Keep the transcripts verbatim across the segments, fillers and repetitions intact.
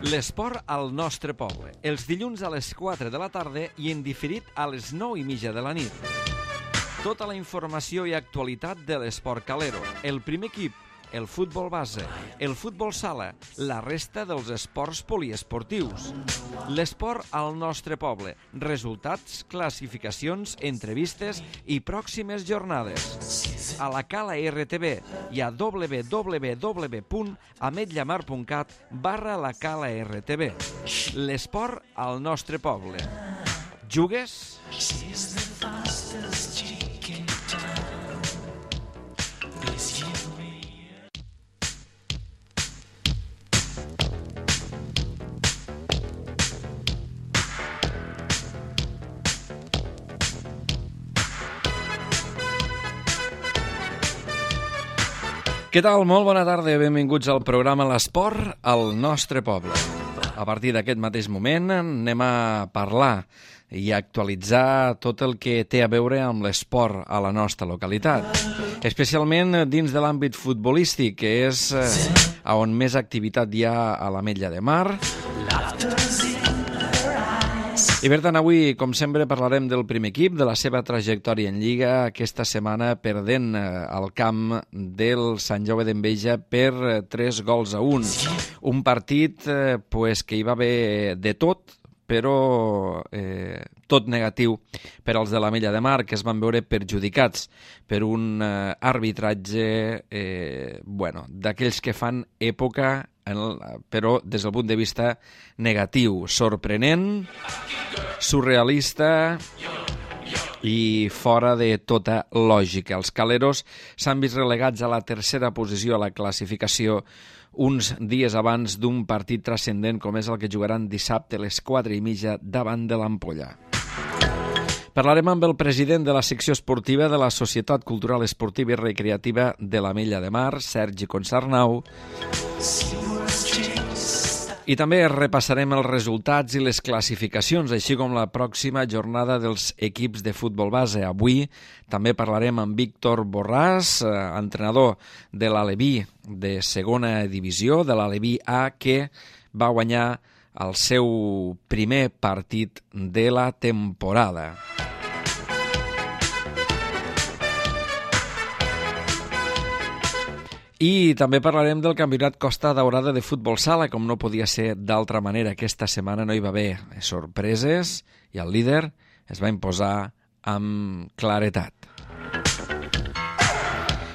L'esport al nostre poble, els dilluns a les quatre de la tarda i en diferit a les nou i mitja de la nit. Tota la informació i actualitat de l'esport calero, el primer equip, el futbol base, el futbol sala, la resta dels esports poliesportius. L'esport al nostre poble, resultats, classificacions, entrevistes i pròximes jornades. A la Cala R T V i a w w w punt ametlla mar punt cat barra la Cala R T V. L'esport al nostre poble. Jugues? Què tal? Molt bona tarda i benvinguts al programa L'Esport al nostre poble. A partir d'aquest mateix moment anem a parlar i a actualitzar tot el que té a veure amb l'esport a la nostra localitat, especialment dins de l'àmbit futbolístic, que és on més activitat hi ha a l'Ametlla de Mar. I per tant, avui, com sempre, parlarem del primer equip, de la seva trajectòria en Lliga, aquesta setmana perdent al camp del Sant Jaume d'Enveja per tres gols a un. Un partit pues, que hi va haver de tot, però eh, tot negatiu per als de l'Ametlla de Mar, que es van veure perjudicats per un eh, arbitratge eh, bueno, d'aquells que fan època, en el, però des del punt de vista negatiu, sorprenent, surrealista i fora de tota lògica. Els caleros s'han vist relegats a la tercera posició a la classificació uns dies abans d'un partit transcendent com és el que jugaran dissabte a les quatre i mitja davant de l'Ampolla. Parlarem amb el president de la secció esportiva de la Societat Cultural Esportiva i Recreativa de l'Ametlla de Mar, Sergi Consarnau, i també repassarem els resultats i les classificacions, així com la pròxima jornada dels equips de futbol base. Avui també parlarem amb Víctor Borràs, entrenador de l'Aleví de segona divisió, de l'Aleví A, que va guanyar el seu primer partit de la temporada. I també parlarem del campionat Costa Daurada de futbol sala, com no podia ser d'altra manera. Aquesta setmana no hi va haver sorpreses i el líder es va imposar amb claretat.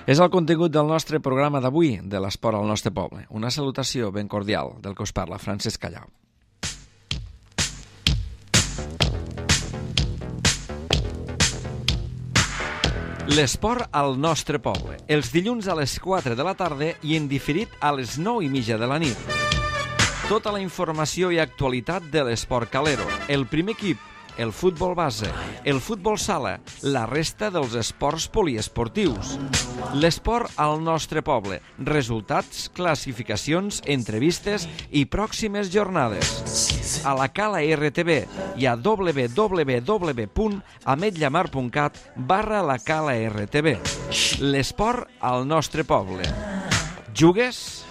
És el contingut del nostre programa d'avui, de l'esport al nostre poble. Una salutació ben cordial del que us parla, Francesc Callau. L'esport al nostre poble, els dilluns a les quatre de la tarda i en diferit a les nou i mitja de la nit. Tota la informació i actualitat de l'esport calero, el primer equip, el futbol base, el futbol sala, la resta dels esports poliesportius. L'esport al nostre poble, resultats, classificacions, entrevistes i pròximes jornades. A la Cala R T V i a w w w punt ametlla mar punt cat barra la Cala R T V. L'esport al nostre poble. Jugues?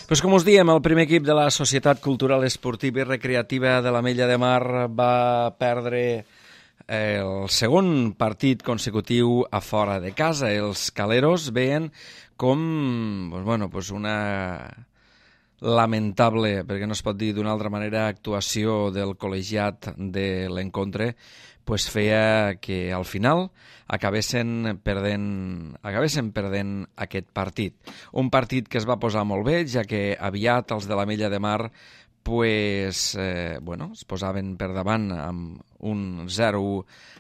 Pues com us diem, el primer equip de la Societat Cultural Esportiva i Recreativa de l'Ametlla de Mar va perdre el segon partit consecutiu a fora de casa. Els caleros veien com pues bueno, pues una lamentable, perquè no es pot dir d'una altra manera, actuació del col·legiat de l'Encontre, pues feia que al final acabessin perdent, acabessin perdent aquest partit. Un partit que es va posar molt bé, ja que aviat els de l'Ametlla de Mar pues, eh, bueno, es posaven per davant amb un zero u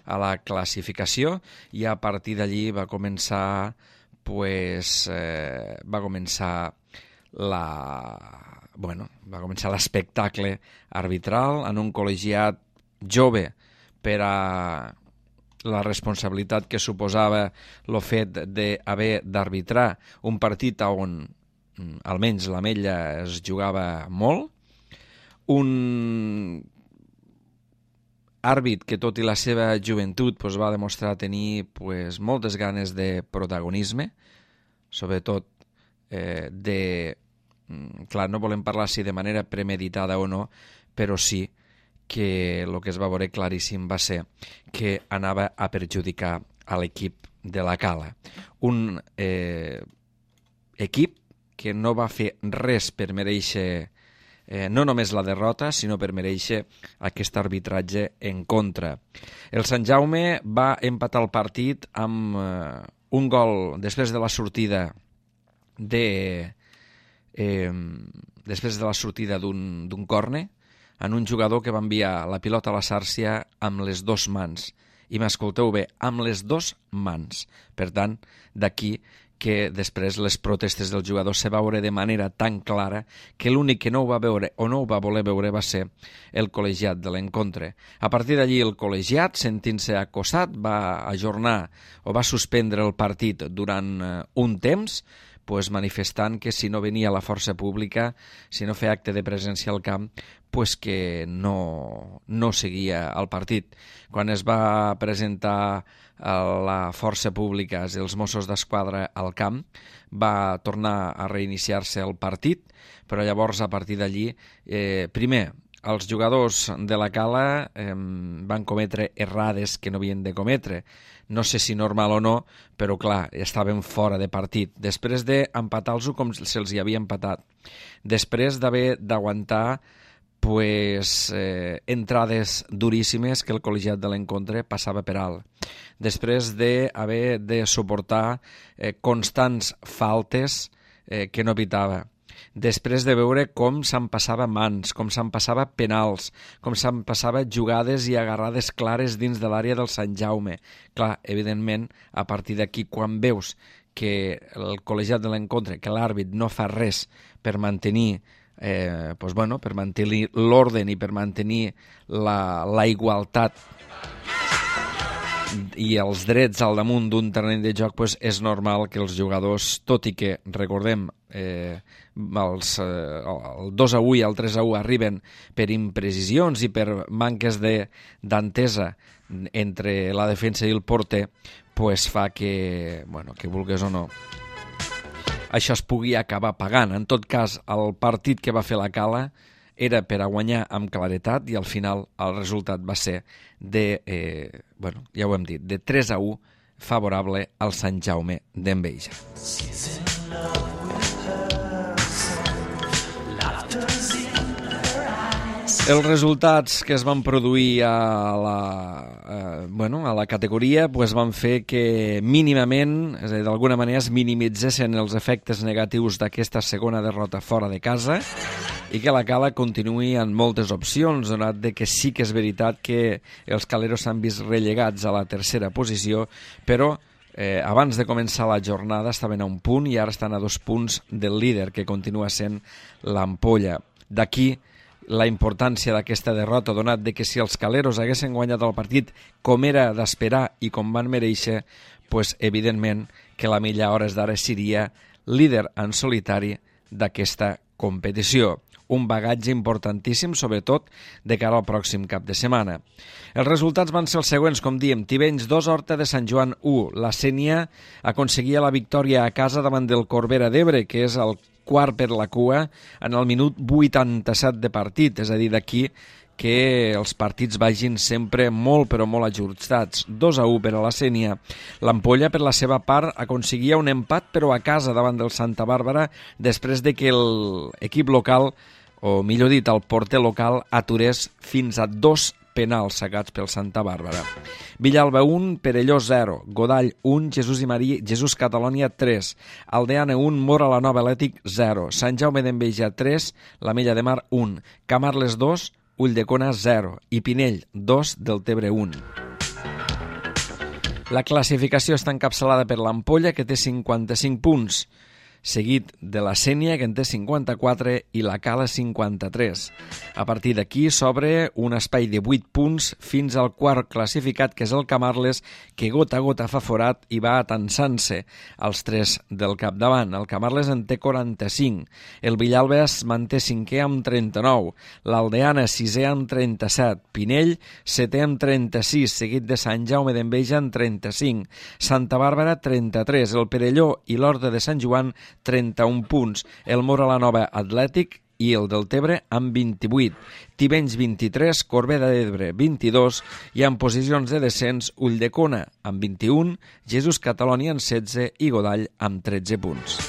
a la classificació i a partir d'allí va començar pues, eh, va començar la, bueno, va començar l'espectacle arbitral en un col·legiat jove per a la responsabilitat que suposava el fet d'haver d'arbitrar un partit on almenys l'Ametlla es jugava molt, un àrbit que tot i la seva joventut pues, va demostrar tenir pues, moltes ganes de protagonisme, sobretot eh, de... Clar, no volem parlar si de manera premeditada o no, però sí que el que es va veure claríssim va ser que anava a perjudicar a l'equip de la Cala. Un eh, equip que no va fer res per mereixer eh, no només la derrota, sinó per mereixer aquest arbitratge en contra. El Sant Jaume va empatar el partit amb eh, un gol després de la sortida de eh, després de la sortida d'un d'un córner, en un jugador que va enviar la pilota a la xàrcia amb les dues mans. I m'escolteu bé, amb les dues mans. Per tant, d'aquí que després les protestes del jugador se va veure de manera tan clara que l'únic que no ho va veure o no ho va voler veure va ser el col·legiat de l'Encontre. A partir d'allí el col·legiat, sentint-se acosat, va ajornar o va suspendre el partit durant un temps, pues manifestant que si no venia la força pública, si no feia acte de presència al camp, pues que no, no seguia el partit. Quan es va presentar la força pública i els Mossos d'Esquadra al camp, va tornar a reiniciar-se el partit, però llavors a partir d'allí, eh, primer, els jugadors de la Cala eh, van cometre errades que no havien de cometre. No sé si normal o no, però clar, estaven fora de partit. Després d'empatar-los com se'ls hi havia empatat. Després d'haver d'aguantar pues, eh, entrades duríssimes que el col·legiat de l'Encontre passava per alt. Després d'haver de suportar eh, constants faltes eh, que no pitava. Després de veure com se'n passava mans, com se'n passava penals, com se'n passava jugades i agarrades clares dins de l'àrea del Sant Jaume. Clar, evidentment, a partir d'aquí, quan veus que el col·legiat de l'Encontre, que l'àrbit no fa res per mantenir eh, pues bueno, per mantenir l'ordre i per mantenir la, la igualtat i els drets al damunt d'un terreny de joc, pues és normal que els jugadors, tot i que, recordem, eh, els, eh, el dos a u i el tres a u arriben per imprecisions i per manques d'entesa entre la defensa i el porter, pues fa que, bueno, que vulgues o no, això es pugui acabar pagant. En tot cas, el partit que va fer la Cala era per a guanyar amb claretat i al final el resultat va ser de, eh, bueno, ja ho hem dit, de tres a u favorable al Sant Jaume d'Enveja. Els resultats que es van produir a la, eh, bueno, a la categoria pues van fer que mínimament, és a dir, d'alguna manera es minimitzessin els efectes negatius d'aquesta segona derrota fora de casa i que la Cala continuï amb moltes opcions, donat de que sí que és veritat que els caleros s'han vist relegats a la tercera posició, però eh, abans de començar la jornada estaven a un punt i ara estan a dos punts del líder, que continua sent l'Ampolla. D'aquí la importància d'aquesta derrota, donat de que si els caleros haguessin guanyat el partit com era d'esperar i com van mereixer, pues, evidentment que l'Ametlla a hores d'ara seria líder en solitari d'aquesta competició. Un bagatge importantíssim, sobretot de cara al pròxim cap de setmana. Els resultats van ser els següents, com diem: Tivenys dos, Horta de Sant Joan u. La Sénia aconseguia la victòria a casa davant del Corbera d'Ebre, que és el quart per la cua, en el minut vuitanta-set de partit. És a dir, d'aquí que els partits vagin sempre molt però molt ajustats. dos a u per a la Sénia. L'Ampolla, per la seva part, aconseguia un empat però a casa davant del Santa Bàrbara després de que l'equip local, o millor dit, el porter local, aturés fins a dos penals sacats pel Santa Bàrbara. Villalba un, Perelló zero, Godall un, Jesús i Maria, Jesús Catalònia tres, Aldeana un, Mora la Nova Atlètic zero, Sant Jaume d'Enveja tres, l'Ametlla de Mar un, Camarles dos, Ulldecona zero i Pinell dos, Deltebre un. La classificació està encapçalada per l'Ampolla, que té cinquanta-cinc punts, seguit de la Sénia, que en té cinquanta-quatre, i la Cala cinquanta-tres. A partir d'aquí s'obre un espai de vuit punts fins al quart classificat, que és el Camarles, que gota a gota fa forat i va atansant-se als tres del capdavant. El Camarles en té quaranta-cinc, el Villalba es manté cinquè amb trenta-nou, l'Aldeana sisè amb trenta-set, Pinell setè amb trenta-sis, seguit de Sant Jaume d'Enveja amb trenta-cinc, Santa Bàrbara trenta-tres, el Perelló i l'Horta de Sant Joan trenta-un punts, el Mora la Nova Atlètic i el Deltebre amb vint-i-vuit, Tivenys vint-i-tres, Corbera d'Ebre vint-i-dos i en posicions de descens Ulldecona amb vint-i-un, Jesús Catalònia amb setze i Godall amb tretze punts.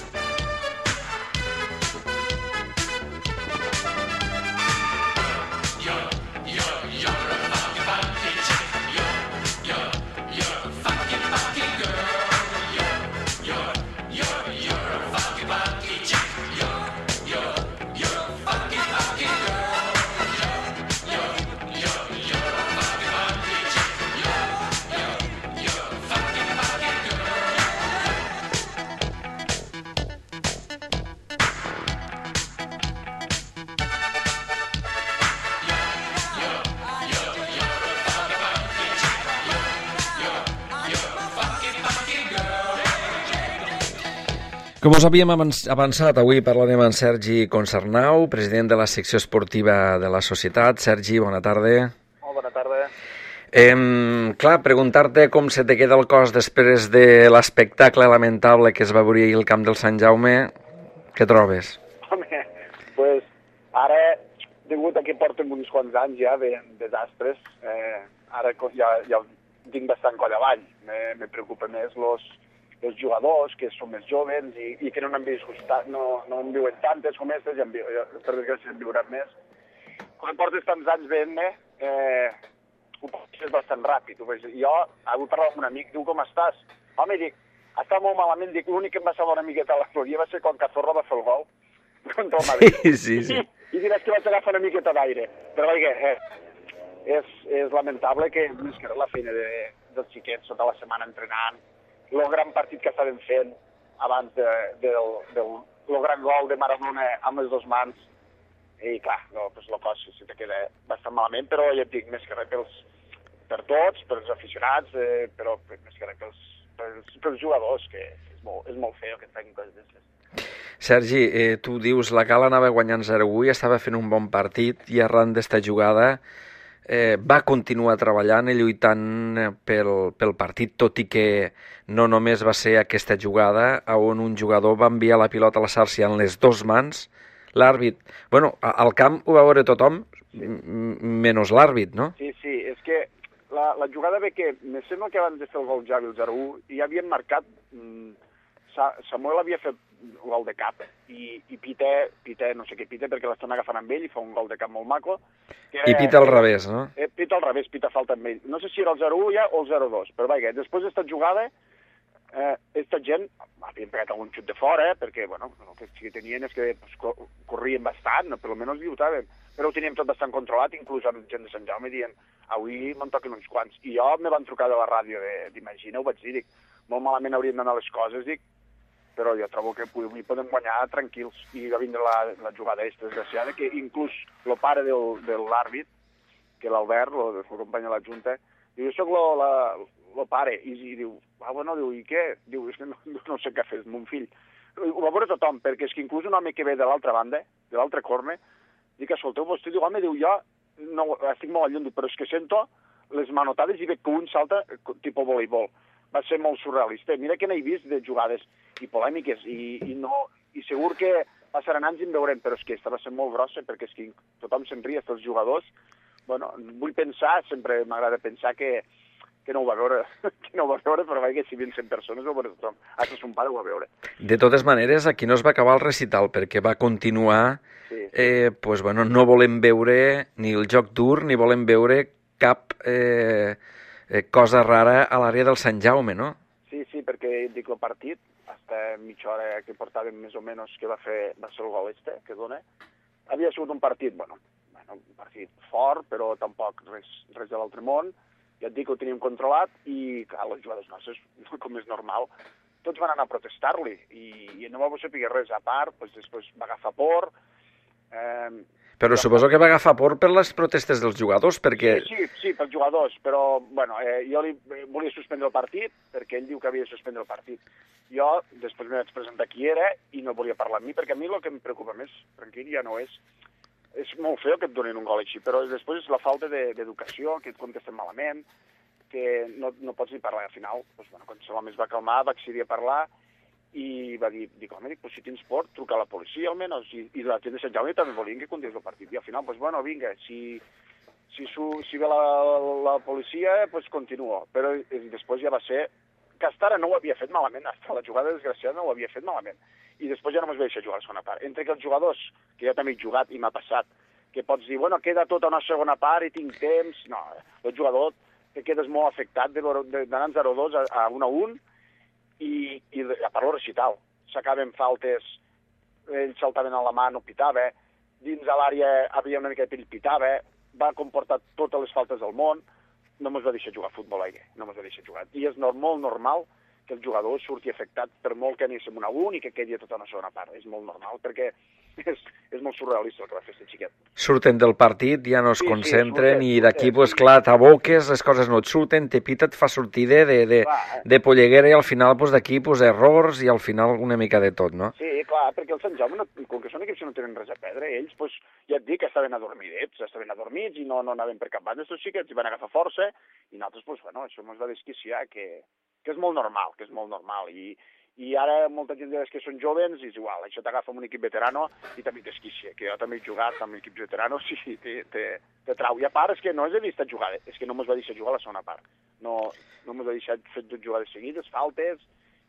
Com us havíem avançat, avui parlarem amb Sergi Concernau, president de la secció esportiva de la societat. Sergi, bona tarda. Molt bona tarda. Eh, clar, preguntar-te com se te queda el cos després de l'espectacle lamentable que es va veure ahir al camp del Sant Jaume. Què trobes? Home, pues, ara, degut a que portem uns quants anys ja de desastres, eh, ara ja, ja tinc bastant coll avall. Me, me preocupa més los... els jugadors que són més joves i, i que no n'han viscut, no, no en viuen tantes com aquestes, i per desgràcia en viuran més. Quan portes tants anys veient-me, eh, ho passes bastant ràpid. Jo avui parlava amb un amic, diu, com estàs? Home, dic, està molt malament, dic, l'únic que em va salvar una miqueta la floria va ser quan Cazorla va fer el gol contra el Madrid. Sí, sí, sí. I, i diràs que vaig agafar una miqueta d'aire. Però, vaja, eh, és, és lamentable que més que la feina de, dels xiquets tota la setmana entrenant, el gran partit que estaven fent abans de, de, del, del gran gol de Maradona amb les dues mans, i clar, no, pues, el cos se te queda bastant malament, però ja et dic, més que res pels, per tots, pels aficionats, eh, però més que res pels, pels, pels jugadors, que és molt, és molt feo que et facin coses d'aquestes. Sergi, eh, tu dius, la Cala anava guanyant zero a u i estava fent un bon partit, i arran d'esta jugada Eh, va continuar treballant i lluitant pel, pel partit, tot i que no només va ser aquesta jugada on un jugador va enviar la pilota a la xarxa en les dues mans. L'àrbit, bueno, al camp ho va veure tothom, menys l'àrbit, no? Sí, sí, és que la, la jugada ve que, me sembla que abans de fer el gol Javi, el zero a u, ja havien marcat, mm, Samuel havia fet un gol de cap, i, i Pita, Pita, no sé què Pita, perquè l'estan agafant amb ell i fa un gol de cap molt maco. Que I Pita al revés, no? Eh, Pita al revés, Pita falta amb ell. No sé si era el zero a u ja o el zero a dos, però vaja, després d'esta jugada, eh, aquesta gent havien pegat algun xut de fora, eh, perquè, bueno, el que sí que tenien és que pues, corrien bastant, no? Per almenys lluitaven, però ho teníem tot bastant controlat, inclús amb gent de Sant Jaume dient, avui me'n toquen uns quants. I jo me van trucar de la ràdio d'Imagina, ho vaig dir, dic, molt malament haurien d'anar les coses, dic, però jo trobo que avui podem guanyar tranquils. I va vindre la, la jugada aquesta desgraciada, que inclús el pare del, de l'àrbit, que l'Albert, el, el company de la Junta, diu, jo soc el pare, i, i diu, ah, bueno, diu, i què? Diu, és que no, no sé què fer, mon fill. Ho va veure tothom, perquè és que inclús un home que ve de l'altra banda, de l'altre corne, dic, escolteu, vostè diu, home, diu, jo no, estic molt lluny, però és que sento les manotades i veig que un salta tipus voleibol. Va ser molt surrealista. Mira que n'he vist de jugades i polèmiques, i, i, no, i segur que passaran anys i en veurem, però és que aquesta va ser molt grossa, perquè és que tothom se'n ria, els jugadors, bueno, vull pensar, sempre m'agrada pensar que, que no ho va veure, que no ho va veure, però vaja, si vint cent persones ho va veure tothom. Hasta son pare ho va veure. De totes maneres, aquí no es va acabar el recital, perquè va continuar, Sí. eh, pues, bueno, no volem veure ni el joc dur, ni volem veure cap eh, eh, cosa rara a l'àrea del Sant Jaume, no? Sí, sí, perquè dic el partit, hasta mitja hora que portàvem més o menys que va fer, va ser el gol este, que dona, havia sigut un partit, bueno, bueno un partit fort, però tampoc res, res de l'altre món. Ja et dic que ho teníem controlat i, clar, les jugades nostres, com és normal, tots van anar a protestar-li i, i no va saber res a part, doncs després va agafar por. Eh, però suposo que va agafar por per les protestes dels jugadors, perquè... Sí, sí, sí, pels jugadors, però, bueno, eh, jo li volia suspendre el partit, perquè ell diu que havia de suspendre el partit. Jo, després m'he vaig presentar qui era i no volia parlar amb mi, perquè a mi el que em preocupa més, tranquil, ja no és... És molt feo que et donin un gol així, però després és la falta d'educació, que et contesten malament, que no, no pots ni parlar. Al final, doncs, bueno, quan l'home es va calmar, va accedir a parlar i va dir, dic, home, dic, pues, si tens por, truca a la policia almenys, i, i la gent de Sant Jaume també volien que continués el partit. I al final, doncs, bueno, vinga, si, si, su, si ve la, la policia, doncs continuo. Però i després ja va ser... Castara no ho havia fet malament, hasta la jugada desgraciada no ho havia fet malament. I després ja no m'es va deixar jugar a la segona part. Entre que els jugadors, que jo també he jugat i m'ha passat, que pots dir, bueno, queda tota una segona part i tinc temps... No, el jugador te quedes molt afectat d'anar zero a dos a un a un i, i a part el recital. S'acaben faltes, ells saltaven a la mà, no pitava, dins a l'àrea havia una mica de perill, pitava, va comportar totes les faltes del món, no mos va deixar jugar a futbol, eh? No mos va deixar jugar. I és molt normal que el jugador surti afectat per molt que anéssim un a un i que quedi tota una segona part. És molt normal, perquè és, és molt surrealista el que va fer aquest xiquet. Surten del partit, ja no es Sí, sí, concentren, surten, i d'aquí, surten, pues, sí. clar, t'aboques, les coses no et surten, te pita, et fa sortir de, de, de, Clar, eh? de polleguera, i al final, pues, d'aquí, pues, errors, i al final una mica de tot, no? Sí, clar, perquè el Sant Jaume, no, com que són equips que no tenen res a perdre, ells, pues, ja et dic que estaven adormidets, estaven adormits i no, no anaven per cap banda, estos xiquets, i van agafar força, i nosaltres, pues, bueno, això ens va desquiciar, que, que és molt normal, que és molt normal, i, i ara molta gent que són jovens és igual, això t'agafa amb un equip veterano i també t'esquicia, que jo també he jugat amb equips veteranos i te, te, te trau. I a part és que no és de vista jugada, és que no mos va deixar jugar a la segona part. No, no mos va deixar fer dues jugades seguides, faltes,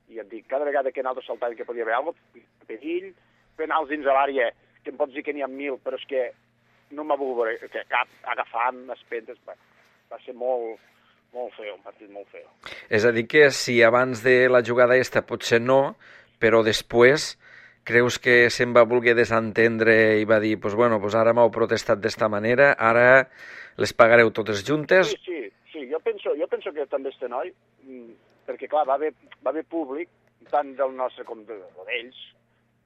i et dic, cada vegada que nosaltres saltàvem que podia haver alguna cosa, perill, penals dins de l'àrea, que em pots dir que n'hi ha mil, però és que no m'ha volgut veure, que cap agafant, espentes, bueno, va ser molt... Molt feo, un partit molt feo. És a dir que si abans de la jugada esta potser no, però després creus que se'n va voler desentendre i va dir, pues bueno, pues ara m'heu protestat d'esta manera, ara les pagareu totes juntes? Sí, sí, sí. Jo penso, jo penso que també este noi, perquè clar, va haver, va haver públic, tant del nostre com de, d'ells,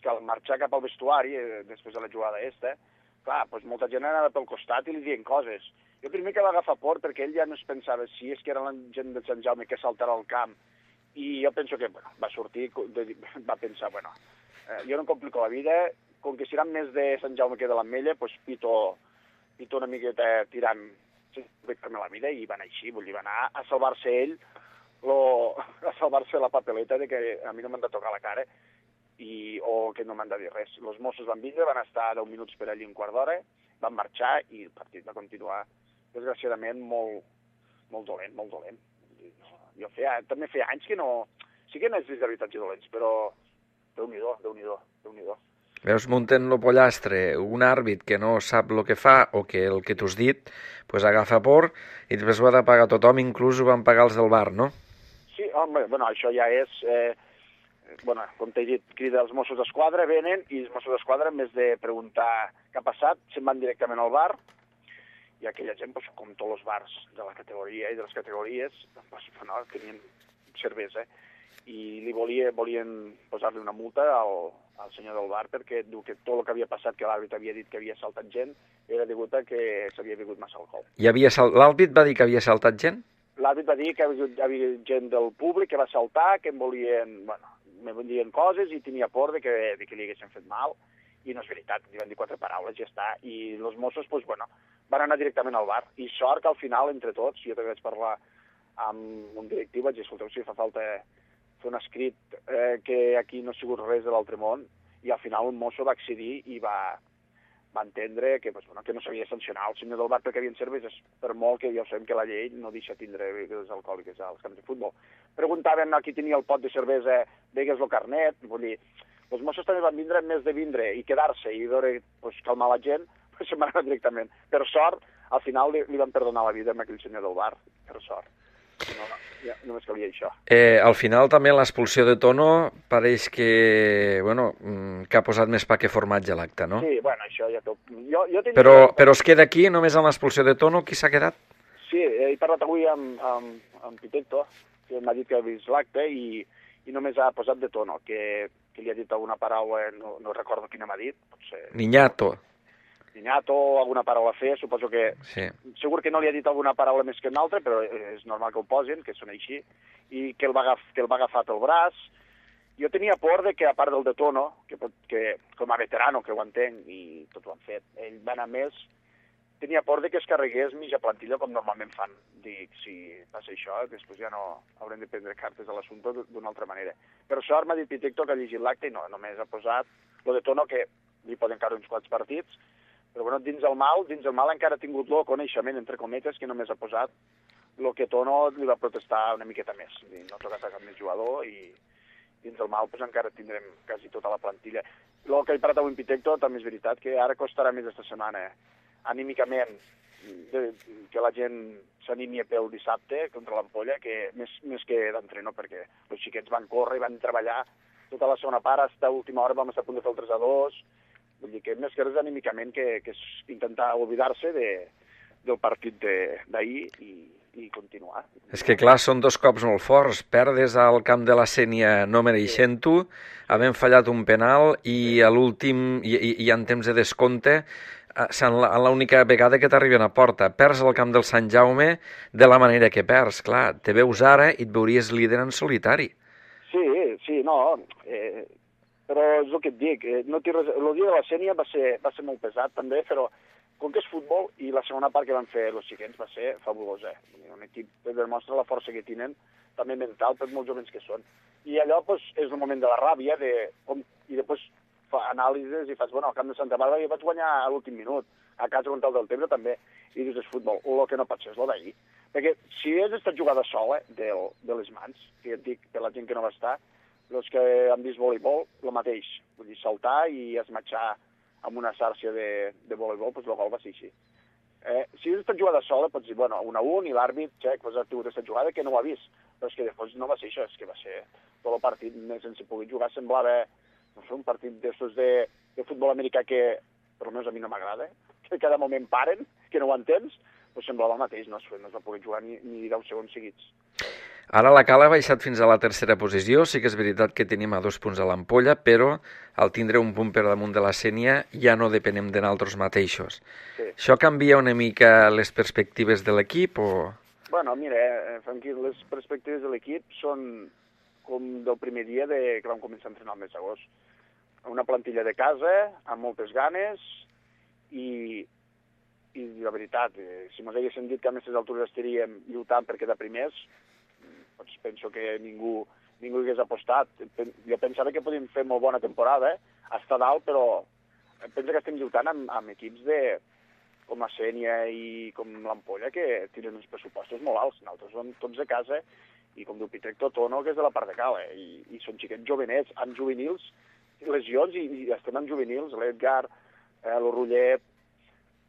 que al marxar cap al vestuari, després de la jugada esta, clar, doncs molta gent anava pel costat i li diuen coses. Jo primer que va agafar por perquè ell ja no es pensava si és que era la gent de Sant Jaume que saltarà al camp, i jo penso que, bueno, va sortir, va pensar, bueno, eh, jo no em complico la vida, com que seran més de Sant Jaume que de l'Ametlla, doncs pito, pito una miqueta tirant, sense la vida, i va anar així, vull dir, va anar a salvar-se ell, lo, a salvar-se la papeleta de que a mi no m'han de tocar la cara, i, o que no m'han de dir res. Els Mossos van vindre, van estar deu minuts per allí un quart d'hora, van marxar i el partit va continuar, desgraciadament, molt, molt dolent, molt dolent. Jo feia, també feia anys que no... Sí que no és d'habitatge dolents, però Déu-n'hi-do, Déu-n'hi-do, Déu-n'hi-do. Veus, munten lo pollastre, un àrbit que no sap el que fa o que el que t'has dit, pues agafa por i després ho ha de pagar tothom, inclús ho van pagar els del bar, no? Sí, home, bueno, això ja és... Eh, bueno, com t'he dit, crida els Mossos d'Esquadra, venen, i els Mossos d'Esquadra, en vez de preguntar què ha passat, se'n van directament al bar, i aquella gent, pues, com tots els bars de la categoria i de les categories, pues, bueno, tenien cervesa, i li volia, volien posar-li una multa al, al senyor del bar perquè diu que tot el que havia passat, que l'àrbit havia dit que havia saltat gent, era degut a que s'havia begut massa alcohol. I havia sal... l'àrbit va dir que havia saltat gent? L'àrbit va dir que hi havia gent del públic que va saltar, que em volien, bueno, me vendien coses i tenia por de que, de que li haguessin fet mal, i no és veritat, li van dir quatre paraules, ja està, i els Mossos, doncs, bueno, van anar directament al bar, i sort que al final, entre tots, jo també vaig parlar amb un directiu, vaig dir, escolteu, si fa falta fer un escrit eh, que aquí no ha sigut res de l'altre món, i al final un mosso va accedir i va, va entendre que, pues, bueno, que no s'havia de sancionar el senyor del bar perquè havien cerveses, per molt que ja sabem que la llei no deixa tindre begudes alcohòliques als camps de futbol. Preguntaven a qui tenia el pot de cervesa, vegues el carnet, vull dir, els Mossos també van vindre, més de vindre i quedar-se i veure, pues, calmar la gent, pues, se'n van anar directament. Per sort, al final li, li van perdonar la vida a aquell senyor del bar, per sort. No, ja, només calia això. Eh, al final també l'expulsió de Tono pareix que, bueno, que ha posat més pa que formatge a l'acte, no? Sí, bueno, això ja tot. Jo, jo tenia... però, però es queda aquí, només amb l'expulsió de Tono, qui s'ha quedat? Sí, he parlat avui amb, amb, amb Pitecto, que m'ha dit que ha vist l'acte i, i només ha posat de Tono, que, que li ha dit alguna paraula, no, no recordo quina m'ha dit, potser... Niñato. Niñato, alguna paraula fe, suposo que... Sí. Segur que no li ha dit alguna paraula més que una altra, però és normal que ho posin, que són així, i que el va, agaf, que el va agafar pel braç. Jo tenia por de que, a part del de Tono, que, que com a veterano, que ho entenc, i tot ho han fet, ell va anar més, tenia por de que es carregués mitja plantilla com normalment fan. Dic, si passa això, després ja no haurem de prendre cartes a l'assumpte d'una altra manera. Per sort m'ha dit Pitecto que ha llegit l'acte i no, només ha posat lo de Tono, que li poden caure uns quants partits, però bueno, dins el mal, dins el mal encara ha tingut el coneixement, entre cometes, que només ha posat el que Tono li va protestar una miqueta més. No ha tocat a cap més jugador i dins el mal pues, encara tindrem quasi tota la plantilla. El que he parat avui en Pitecto també és veritat que ara costarà més aquesta setmana, anímicament, de, que la gent s'animi pel dissabte contra l'Ampolla, que més, més que d'entreno, perquè els xiquets van córrer i van treballar tota la segona part, fins a última hora vam estar a punt de fer el tres a dos, vull dir que més que res anímicament que, que és intentar oblidar-se de, del partit d'ahir i, i continuar. És que clar, són dos cops molt forts. Perdes al camp de la Sénia no mereixent-ho, havent fallat un penal i a l'últim, i, i, i en temps de descompte, en l'única vegada que t'arriben a porta. Perds al camp del Sant Jaume de la manera que perds. Clar, te veus ara i et veuries líder en solitari. Sí, sí, no... Eh... Però és el que et dic, no res... el dia de la Sénia va ser, va ser molt pesat també, però com que és futbol i la segona part que van fer els xiquets va ser fabulosa. Un equip que demostra la força que tenen, també mental, per molt jovens que són. I allò pues, és el moment de la ràbia, de, com, i després fa anàlisis i fas, bueno, al camp de Santa Bàrbara jo vaig guanyar a l'últim minut, a casa contra el del Tebre també, i dius, és futbol. El que no pot ser és el d'ahir. Perquè si és esta jugada sola del, de les mans, que et dic, per la gent que no va estar, els que han vist voleibol, el mateix. Vull dir, saltar i esmatxar amb una xarxa de, de voleibol, doncs el gol va ser així. Eh, si és aquesta jugada sola, pots dir, bueno, un a un, i l'àrbit, xec, pues, ha tingut aquesta jugada que no ho ha vist. Però és que després no va ser això, és que va ser tot el partit més sense poder jugar. Semblava, no sé, un partit d'estos de, de futbol americà que, per almenys a mi no m'agrada, que cada moment paren, que no ho entens, doncs semblava el mateix, no es, no es va poder jugar ni, ni deu segons seguits. Ara la Cala ha baixat fins a la tercera posició, sí que és veritat que tenim a dos punts a l'Ampolla, però al tindre un punt per damunt de la Sénia ja no depenem de nosaltres mateixos. Sí. Això canvia una mica les perspectives de l'equip o...? Bueno, mira, eh, Franqui, les perspectives de l'equip són com del primer dia de que vam començar a entrenar el mes d'agost. Una plantilla de casa, amb moltes ganes, i, i la veritat, eh, si mos haguessin dit que a aquestes altures estaríem lluitant per quedar primers, doncs penso que ningú, ningú hi hagués apostat. Jo pensava que podíem fer molt bona temporada, eh? Està dalt, però penso que estem lluitant amb, amb equips de, com la Sénia i com l'Ampolla, que tenen uns pressupostos molt alts. Nosaltres som tots de casa, i com diu Pitecto, Tono, que és de la part de cal, eh? I, i són xiquets jovenets, amb juvenils, lesions, i, i estem amb juvenils, l'Edgar, eh, l'Orullet,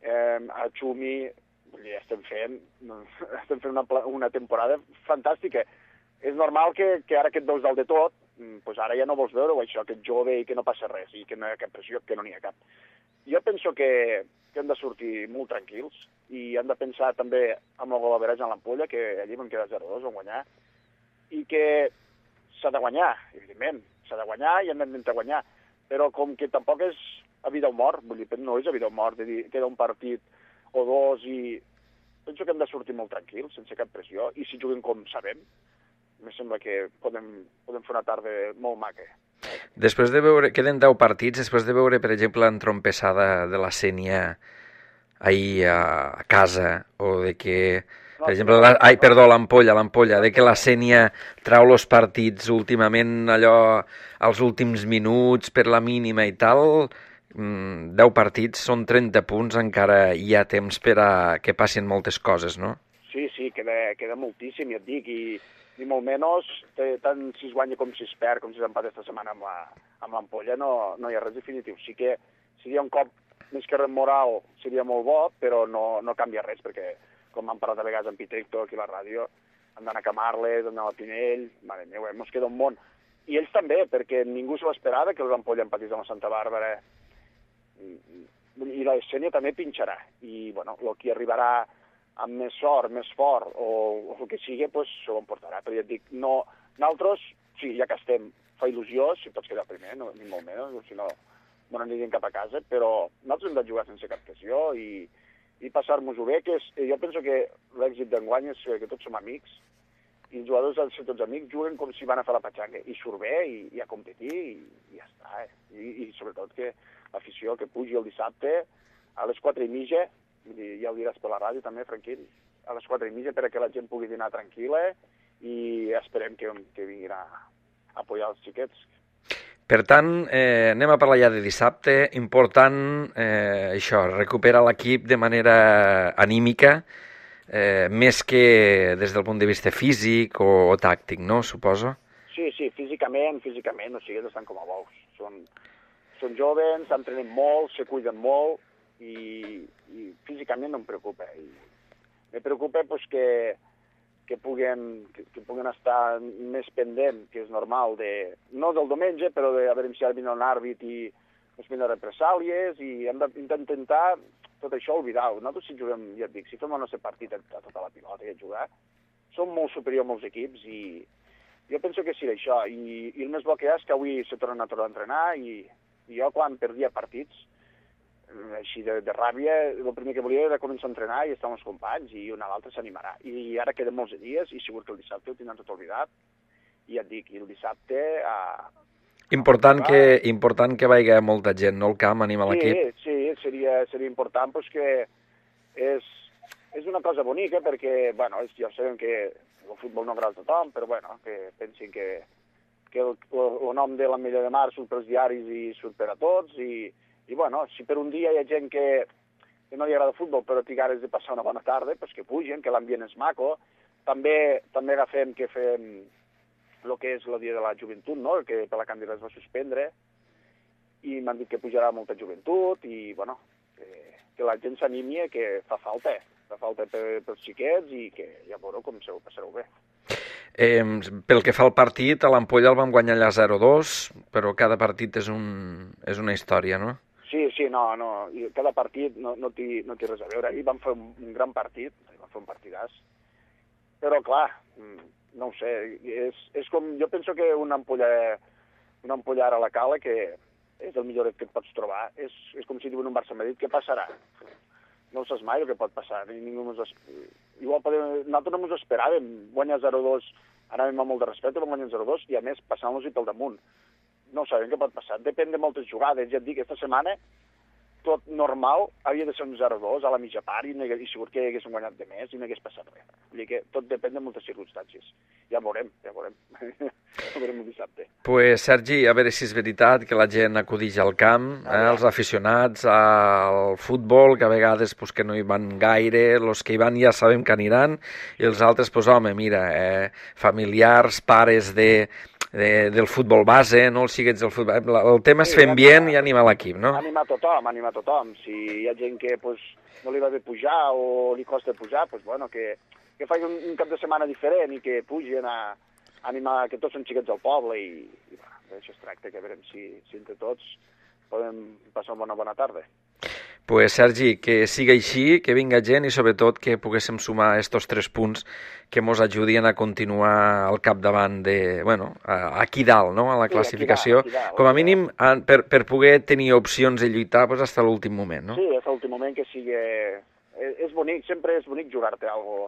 eh, el Xumi, estem fent, estem fent una, una temporada fantàstica. És normal que, que ara que et veus dalt de tot, doncs ara ja no vols veure això, que ets jove i que no passa res, i que no hi ha cap pressió, que no n'hi ha cap. Jo penso que, que hem de sortir molt tranquils, i hem de pensar també amb el gol average en l'Ampolla, que allí vam quedar zero dos, vam guanyar, i que s'ha de guanyar, evidentment, s'ha de guanyar i hem d'intentar guanyar, però com que tampoc és a vida o mort, vull dir, no és a vida o mort, de dir, queda un partit o dos, i penso que hem de sortir molt tranquils, sense cap pressió, i si juguem com sabem, em sembla que podem, podem fer una tarda molt maca. Després de veure, queden deu partits, després de veure, per exemple, l'entrompessada de la Sénia ahir a, a casa, o de que, per exemple, la, ai, perdó, l'Ampolla, l'Ampolla, de que la Sénia trau els partits últimament allò als últims minuts per la mínima i tal, deu partits, són trenta punts, encara hi ha temps per a que passin moltes coses, no? Sí, sí, queda, queda moltíssim, ja et dic, i, i molt menys, tant si es guanya com si es perd, com si s'empat aquesta setmana amb, la, amb l'Ampolla, no, no hi ha res definitiu. Sí que seria un cop més que res moral, seria molt bo, però no, no canvia res, perquè, com hem parlat a vegades amb Pitecto aquí a la ràdio, han d'anar a Camarles, han d'anar a Pinell, mare meva, mos queda un món. I ells també, perquè ningú se l'esperava que l'Ampolla empatís amb la Santa Bàrbara, i la Sénia també pinxarà, i bueno, el que arribarà amb més sort, més fort, o, o el que sigui, pues, s'ho emportarà. Però ja et dic, no, nosaltres, sí, ja que estem, fa il·lusió, si pots quedar primer, no, ni molt menys, si no, no anirem cap a casa, però nosaltres hem de jugar sense cap pressió i, i passar-nos-ho bé, que és, jo penso que l'èxit d'enguany és que tots som amics, i els jugadors han de ser tots amics, juguen com si van a fer la patxanga, i surt bé, i, i a competir, i, i ja està. Eh? I, I sobretot que l'afició que pugi el dissabte a les quatre i mitja, ja ho diràs per la ràdio també, tranquil, a les quatre i mitja perquè la gent pugui dinar tranquil·la i esperem que, que vinguin a, a apoyar els xiquets. Per tant, eh, anem a parlar ja de dissabte. Important, eh, això, recuperar l'equip de manera anímica, eh, més que des del punt de vista físic o, o tàctic, no? Suposo? Sí, sí, físicament, físicament, o sigui, estan com a bous. Són, són jovens, s'entrenen molt, se cuiden molt, i, i físicament no em preocupa. I me preocupa pues, que, que, puguen, que, que puguen estar més pendent, que és normal, de, no del diumenge, però de a veure si ara vindrà un àrbit i ens vindrà represàlies, i hem d'intentar tot això oblidar-ho. Nosaltres si juguem, ja et dic, si fem el nostre partit a, a tota la pilota i a jugar, som molt superior a molts equips, i jo penso que sí això, i, i el més bo que hi ha és que avui se tornen a tornar a entrenar, i, i jo quan perdia partits, així de, de ràbia, el primer que volia era començar a entrenar i estar amb els companys, i un a l'altre s'animarà. I ara queden molts dies, i segur que el dissabte ho tindran tot oblidat, i ja et dic, i el dissabte... A, important, a que, important que vagi molta gent, no, al camp, anima sí, l'equip. Sí, seria, seria important, pues, que és, és una cosa bonica, perquè, bueno, és, ja sabem que el futbol no agrada a tothom, però, bueno, que pensin que, que el, el, el nom de l'Ametlla de Mar surt pels diaris i surt per a tots, i I, bueno, si per un dia hi ha gent que, que no li agrada el futbol, però té ganes de passar una bona tarda, pues que pugen, que l'ambient és maco. També també agafem que fem el que és el dia de la joventut, no?, que per la candidata es va suspendre, i m'han dit que pujarà molta joventut, i, bueno, que, que la gent s'animi, que fa falta, fa falta per, pels xiquets, i que ja veureu com se ho passareu bé. Eh, pel que fa al partit, a l'Ampolla el vam guanyar allà zero dos, però cada partit és, un, és una història, no? Sí, sí, no, no, cada partit no, no, té, no té res a veure. Ahir vam fer un, un gran partit, vam fer un partidàs, però clar, no ho sé, és, és com, jo penso que una ampolla, una ampolla ara a la cala, que és el millor que et pots trobar, és, és com si diuen un Barça-Madrid, què passarà? No ho saps mai el que pot passar, ni ningú mos es... Igual podem... nosaltres no ens esperàvem guanyar zero dos, anàvem amb molt de respecte, vam guanyar zero dos, i a més passant-los-hi pel damunt. No sabem què pot passar, depèn de moltes jugades. Ja et dic, aquesta setmana, tot normal, havia de ser un zero dos a la mitja part, i, i segur que haguéssim guanyat de més i no hagués passat res. Vull dir que tot depèn de moltes circumstàncies. Ja veurem, ja veurem. Ja veurem el dissabte. Pues, Sergi, a veure si és veritat que la gent acudix al camp, eh, els aficionats al futbol, que a vegades pues, que no hi van gaire, els que hi van ja sabem que aniran, i els altres, pues, home, mira, eh, familiars, pares de... De, del futbol base, no els xiquets del futbol... El tema és fer ambient i animar l'equip, no? Animar tothom, animar tothom. Si hi ha gent que pues, no li va bé pujar o li costa pujar, pues, bueno, que, que faci un, un cap de setmana diferent i que pugin a animar, que tots són xiquets del poble, i, i bueno, d'això es tracta, que veurem si, si entre tots podem passar una bona, bona tarda. Pues, Sergi, que siga així, que vinga gent i sobretot que poguéssim sumar estos tres punts que mos ajudin a continuar al capdavant de, bueno, aquí dalt, no?, a la classificació. Sí, aquí dalt, aquí dalt, com a mínim per, per poder tenir opcions de lluitar pues, fins a l'últim moment, no? Sí, fins a l'últim moment que sigui... És, és bonic, sempre és bonic jugar-te algo,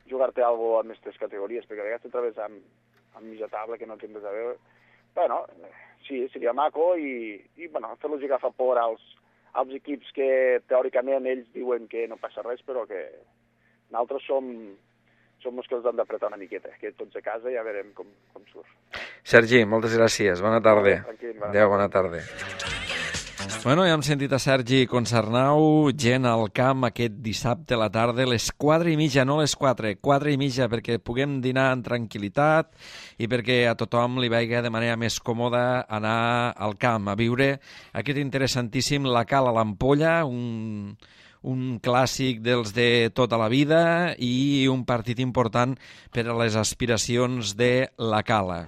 jugar-te algo amb aquestes categories, perquè a vegades te trobes amb, amb mitja taula que no tens res a veure. Bueno, sí, seria maco i, i bueno, fer-los agafar por als als equips que teòricament ells diuen que no passa res, però que nosaltres som, som els que els han d'apretar una miqueta, que tots a casa ja veurem com, com surt. Sergi, moltes gràcies, bona tarda. Tranquil, Adéu, bona tarda. Bueno, ja hem sentit a Sergi Concernau, gent al camp aquest dissabte a la tarda, les quatre i mitja, no les quatre, quatre i mitja, perquè puguem dinar en tranquil·litat i perquè a tothom li vagi de manera més còmoda anar al camp, a viure aquest interessantíssim La Cala a l'Ampolla, un, un clàssic dels de tota la vida i un partit important per a les aspiracions de La Cala.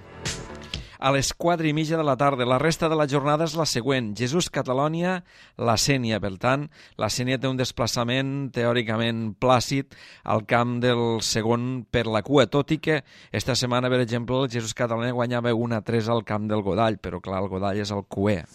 A les quatre i mitja de la tarda. La resta de la jornada és la següent. Jesús Catalònia, la Sénia. Per tant, la Sénia té un desplaçament teòricament plàcid al camp del segon per la cua, tot i que esta setmana, per exemple, el Jesús Catalònia guanyava un a tres al camp del Godall, però clar, el Godall és el cuer.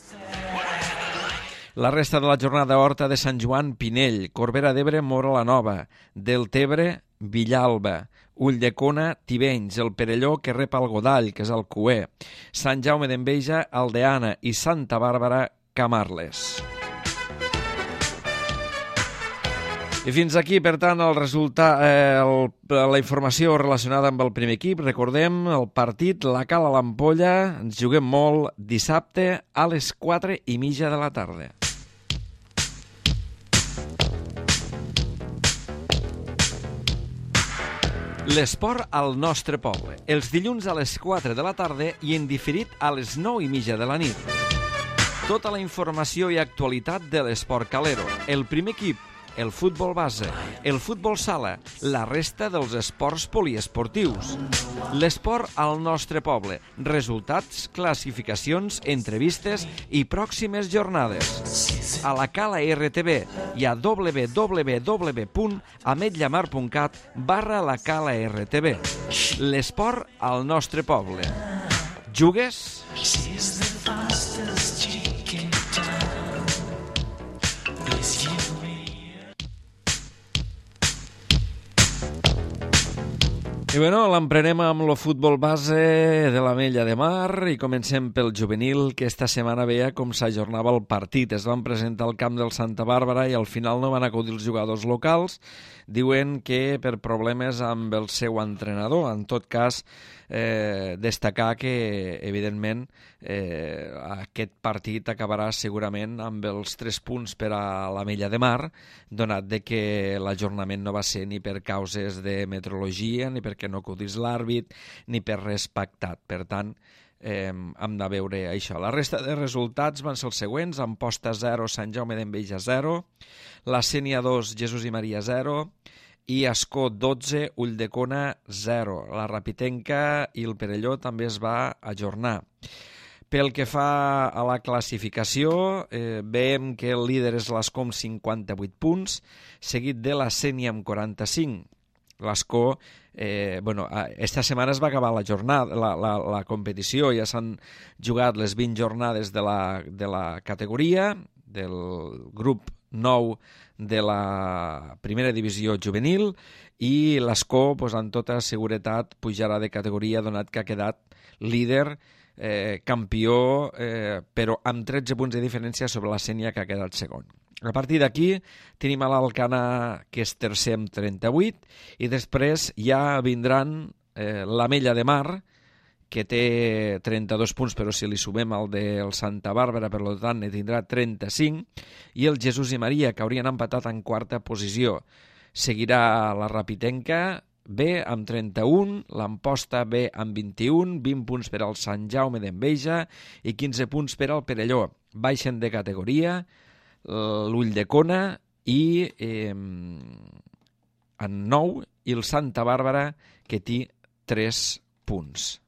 La resta de la jornada, Horta de Sant Joan, Pinell, Corbera d'Ebre, Móra la Nova, Deltebre, Villalba, Ulldecona, Tivenys, el Perelló, que rep el Godall, que és el cuer, Sant Jaume d'Enveja, Aldeana i Santa Bàrbara, Camarles. I fins aquí, per tant, el resultat, eh, el, la informació relacionada amb el primer equip. Recordem, el partit, La Cala a l'Ampolla, ens juguem molt dissabte a les quatre i mitja de la tarda. L'esport al nostre poble, els dilluns a les quatre de la tarda i en diferit a les nou i mitja de la nit. Tota la informació i actualitat de l'esport calero, el primer equip, el futbol base, el futbol sala, la resta dels esports poliesportius. L'esport al nostre poble, resultats, classificacions, entrevistes i pròximes jornades. A la Cala R T V i a w w w punt ametlllamar punt cat barra la Cala R T V. L'esport al nostre poble. Jugues? I bueno, l'emprenem amb el futbol base de l'Ametlla de Mar i comencem pel juvenil, que esta setmana veia com s'ajornava el partit. Es van presentar al camp del Santa Bàrbara i al final no van acudir els jugadors locals. Diuen que per problemes amb el seu entrenador. En tot cas, eh, destacar que, evidentment, eh, aquest partit acabarà segurament amb els tres punts per a l'Ametlla de Mar, donat de que l'ajornament no va ser ni per causes de meteorologia, ni perquè no acudís l'àrbit, ni per res pactat. Per tant, eh, hem de veure això. La resta de resultats van ser els següents: Amposta zero, Sant Jaume d'Enveja zero, la Sénia dos, Jesús i Maria zero, i Ascó dotze, Ulldecona zero. La Rapitenca i el Perelló també es va ajornar. Pel que fa a la classificació, eh, veiem que el líder és l'Ascó amb cinquanta-vuit punts, seguit de la Sénia amb quaranta-cinc. L'Ascó, eh, bueno, esta setmana es va acabar la jornada, la, la, la competició, ja s'han jugat les vint jornades de la, de la categoria, del grup nou de la primera divisió juvenil, i l'Ascó, pues, amb tota seguretat, pujarà de categoria, donat que ha quedat líder, eh, campió, eh, però amb tretze punts de diferència sobre la Sénia, que ha quedat segon. A partir d'aquí tenim a l'Alcana, que és tercer amb trenta-vuit, i després ja vindran eh, l'Ametlla de Mar, que té trenta-dos punts, però si li sumem el del Santa Bàrbara, per tant, ne tindrà trenta-cinc, i el Jesús i Maria, que haurien empatat en quarta posició. Seguirà la Rapitenca B amb trenta-un, l'Amposta B amb vint-i-un, vint punts per al Sant Jaume d'Enveja i quinze punts per al Perelló. Baixen de categoria l'Ulldecona i eh, en nou, i el Santa Bàrbara, que té tres punts.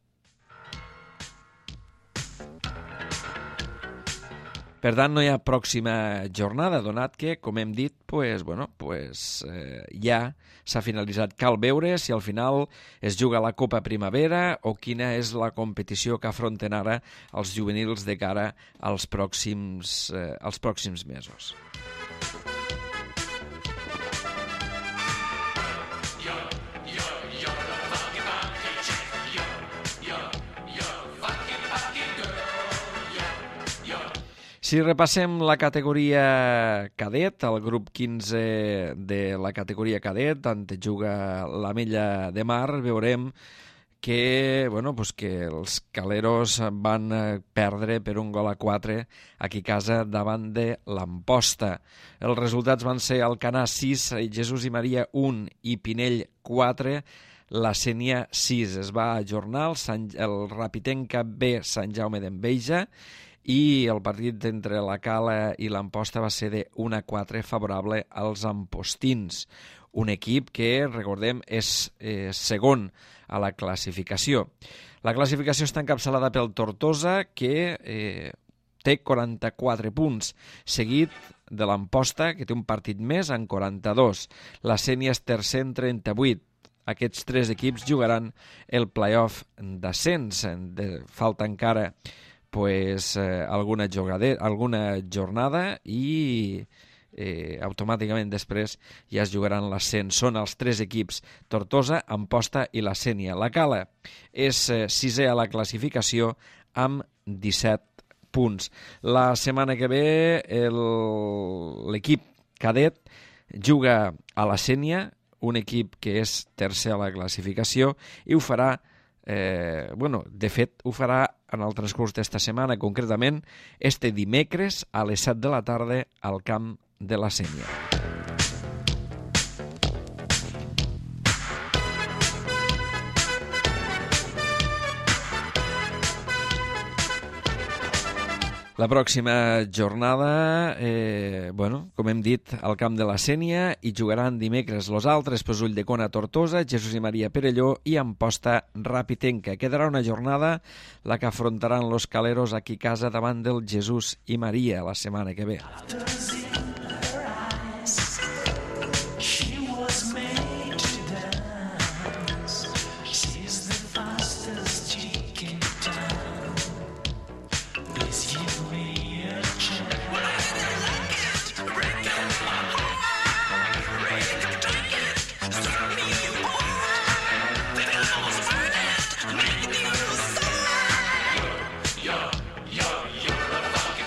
Per tant, no hi ha pròxima jornada, donat que, com hem dit, pues, bueno, pues, eh, ja s'ha finalitzat. Cal veure si al final es juga la Copa Primavera o quina és la competició que afronten ara els juvenils de cara als pròxims, eh, als pròxims mesos. Si repassem la categoria cadet, el grup quinze de la categoria cadet, on juga l'Ametlla de Mar, veurem que, bueno, pues que els Caleros van perdre per un gol a quatre aquí a casa davant de l'Amposta. Els resultats van ser Alcanar sis, Jesús i Maria un i Pinell quatre, la Sénia sis. Es va ajornar el, Sant, el Rapitenca B Sant Jaume d'Enveja i el partit entre la Cala i l'Amposta va ser de un a quatre favorable als ampostins. Un equip que, recordem, és eh, segon a la classificació. La classificació està encapçalada pel Tortosa, que eh, té quaranta-quatre punts, seguit de l'Amposta, que té un partit més, en quaranta-dos. La Sénia és tercer en trenta-vuit. Aquests tres equips jugaran el play-off d'ascens. Falta encara pues, eh, alguna, jugade, alguna jornada i eh, automàticament després ja es jugaran l'ascens. Són els tres equips, Tortosa, Amposta i la Sénia. La Cala és eh, sisè a la classificació amb disset punts. La setmana que ve l'equip cadet juga a la Sénia, un equip que és tercer a la classificació, i ho farà, eh, bueno, de fet, ho farà en el transcurs d'esta setmana, concretament este dimecres a les set de la tarda al camp de la Sénia. La pròxima jornada, eh, bueno, com hem dit, al camp de la Sénia, hi jugaran dimecres los altres, pues Ulldecona Tortosa, Jesús i Maria Perelló i Amposta Rapitenca. Quedarà una jornada la que afrontaran los Caleros aquí a casa davant del Jesús i Maria la setmana que ve.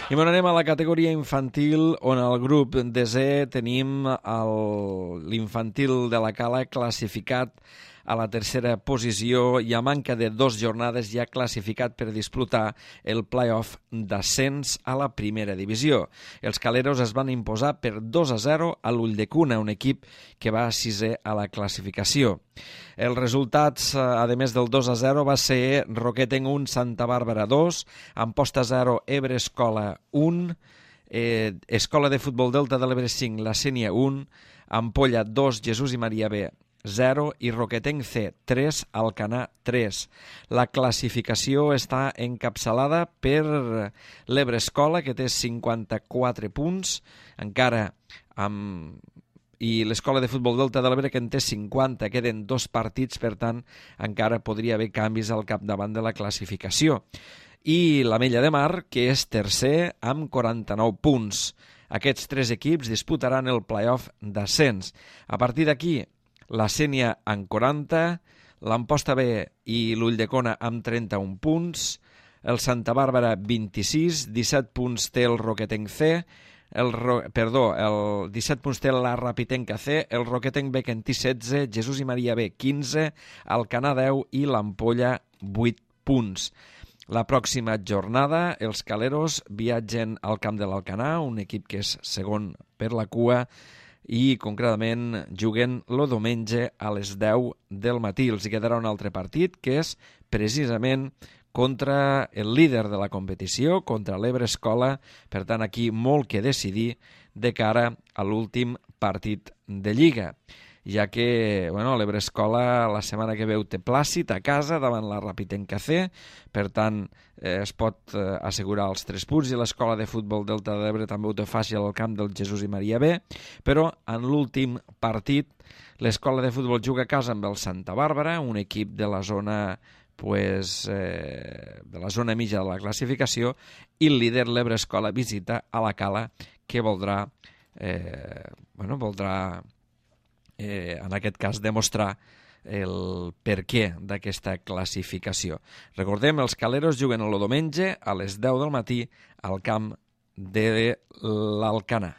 I bueno, anem a la categoria infantil, on al grup desè tenim l'infantil de la Cala classificat a la tercera posició i a manca de dos jornades ja classificat per disputar el play-off d'ascens a la primera divisió. Els caleros es van imposar per dos a zero a l'Ulldecuna, un equip que va sisè a la classificació. Els resultats, a més del dos a zero, va ser Roquetenc un, Santa Bàrbara dos, Amposta zero, Ebre Escola un, eh, Escola de Futbol Delta de l'Ebre cinc, la Sénia un, Ampolla dos, Jesús i Maria B zero i Roquetenc C tres, Alcanar tres. La classificació està encapçalada per l'Ebre Escola, que té cinquanta-quatre punts, encara amb... i l'Escola de Futbol Delta de l'Ebre, que en té cinquanta, queden dos partits, per tant, encara podria haver canvis al capdavant de la classificació. I l'Ametlla de Mar, que és tercer, amb quaranta-nou punts. Aquests tres equips disputaran el play-off d'ascens. A partir d'aquí, la Sénia amb quaranta, l'Amposta B i l'Ulldecona amb trenta-un punts, el Santa Bàrbara vint-i-sis, disset punts té el Roquetenc C, el, perdó, el disset punts té la Rapitenca C, el Roquetenc B que en té setze, Jesús i Maria B quinze, Alcanar deu i l'Ampolla vuit punts. La pròxima jornada, els caleros viatgen al camp de l'Alcanar, un equip que és segon per la cua, i concretament juguen el diumenge a les deu del matí. Els hi quedarà un altre partit, que és precisament contra el líder de la competició, contra l'Ebre Escola. Per tant, aquí molt que decidir de cara a l'últim partit de Lliga, ja que bueno, l'Ebre Escola la setmana que ve té Plàcid a casa davant la Rapitenca C, per tant eh, es pot eh, assegurar els tres punts, i l'Escola de Futbol Delta de l'Ebre també ho té fàcil al camp del Jesús i Maria B, però en l'últim partit l'Escola de Futbol juga a casa amb el Santa Bàrbara, un equip de la zona pues, eh, de la zona mitja de la classificació, i el líder l'Ebre Escola visita a la Cala, que voldrà eh, bueno, voldrà Eh, en aquest cas demostrar el perquè d'aquesta classificació. Recordem, els caleros juguen el diumenge a les deu del matí al camp de l'Alcanar.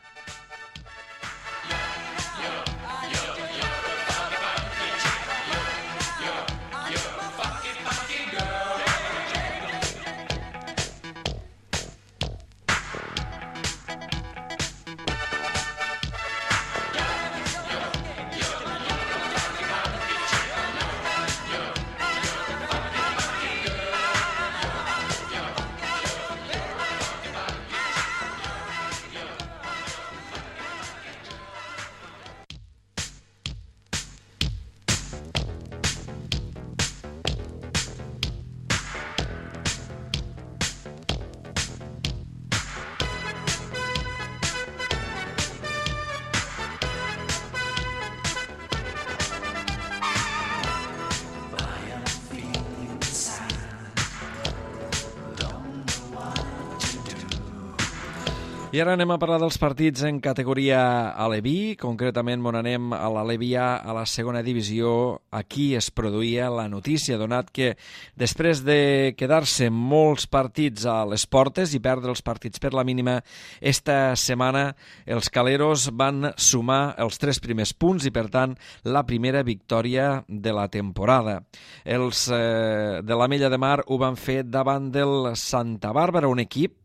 I ara anem a parlar dels partits en categoria Aleví, concretament on anem a l'Aleví A, a la segona divisió. Aquí es produïa la notícia, donat que després de quedar-se molts partits a les portes i perdre els partits per la mínima, esta setmana els caleros van sumar els tres primers punts i, per tant, la primera victòria de la temporada. Els eh, de l'Ametlla de Mar ho van fer davant del Santa Bàrbara, un equip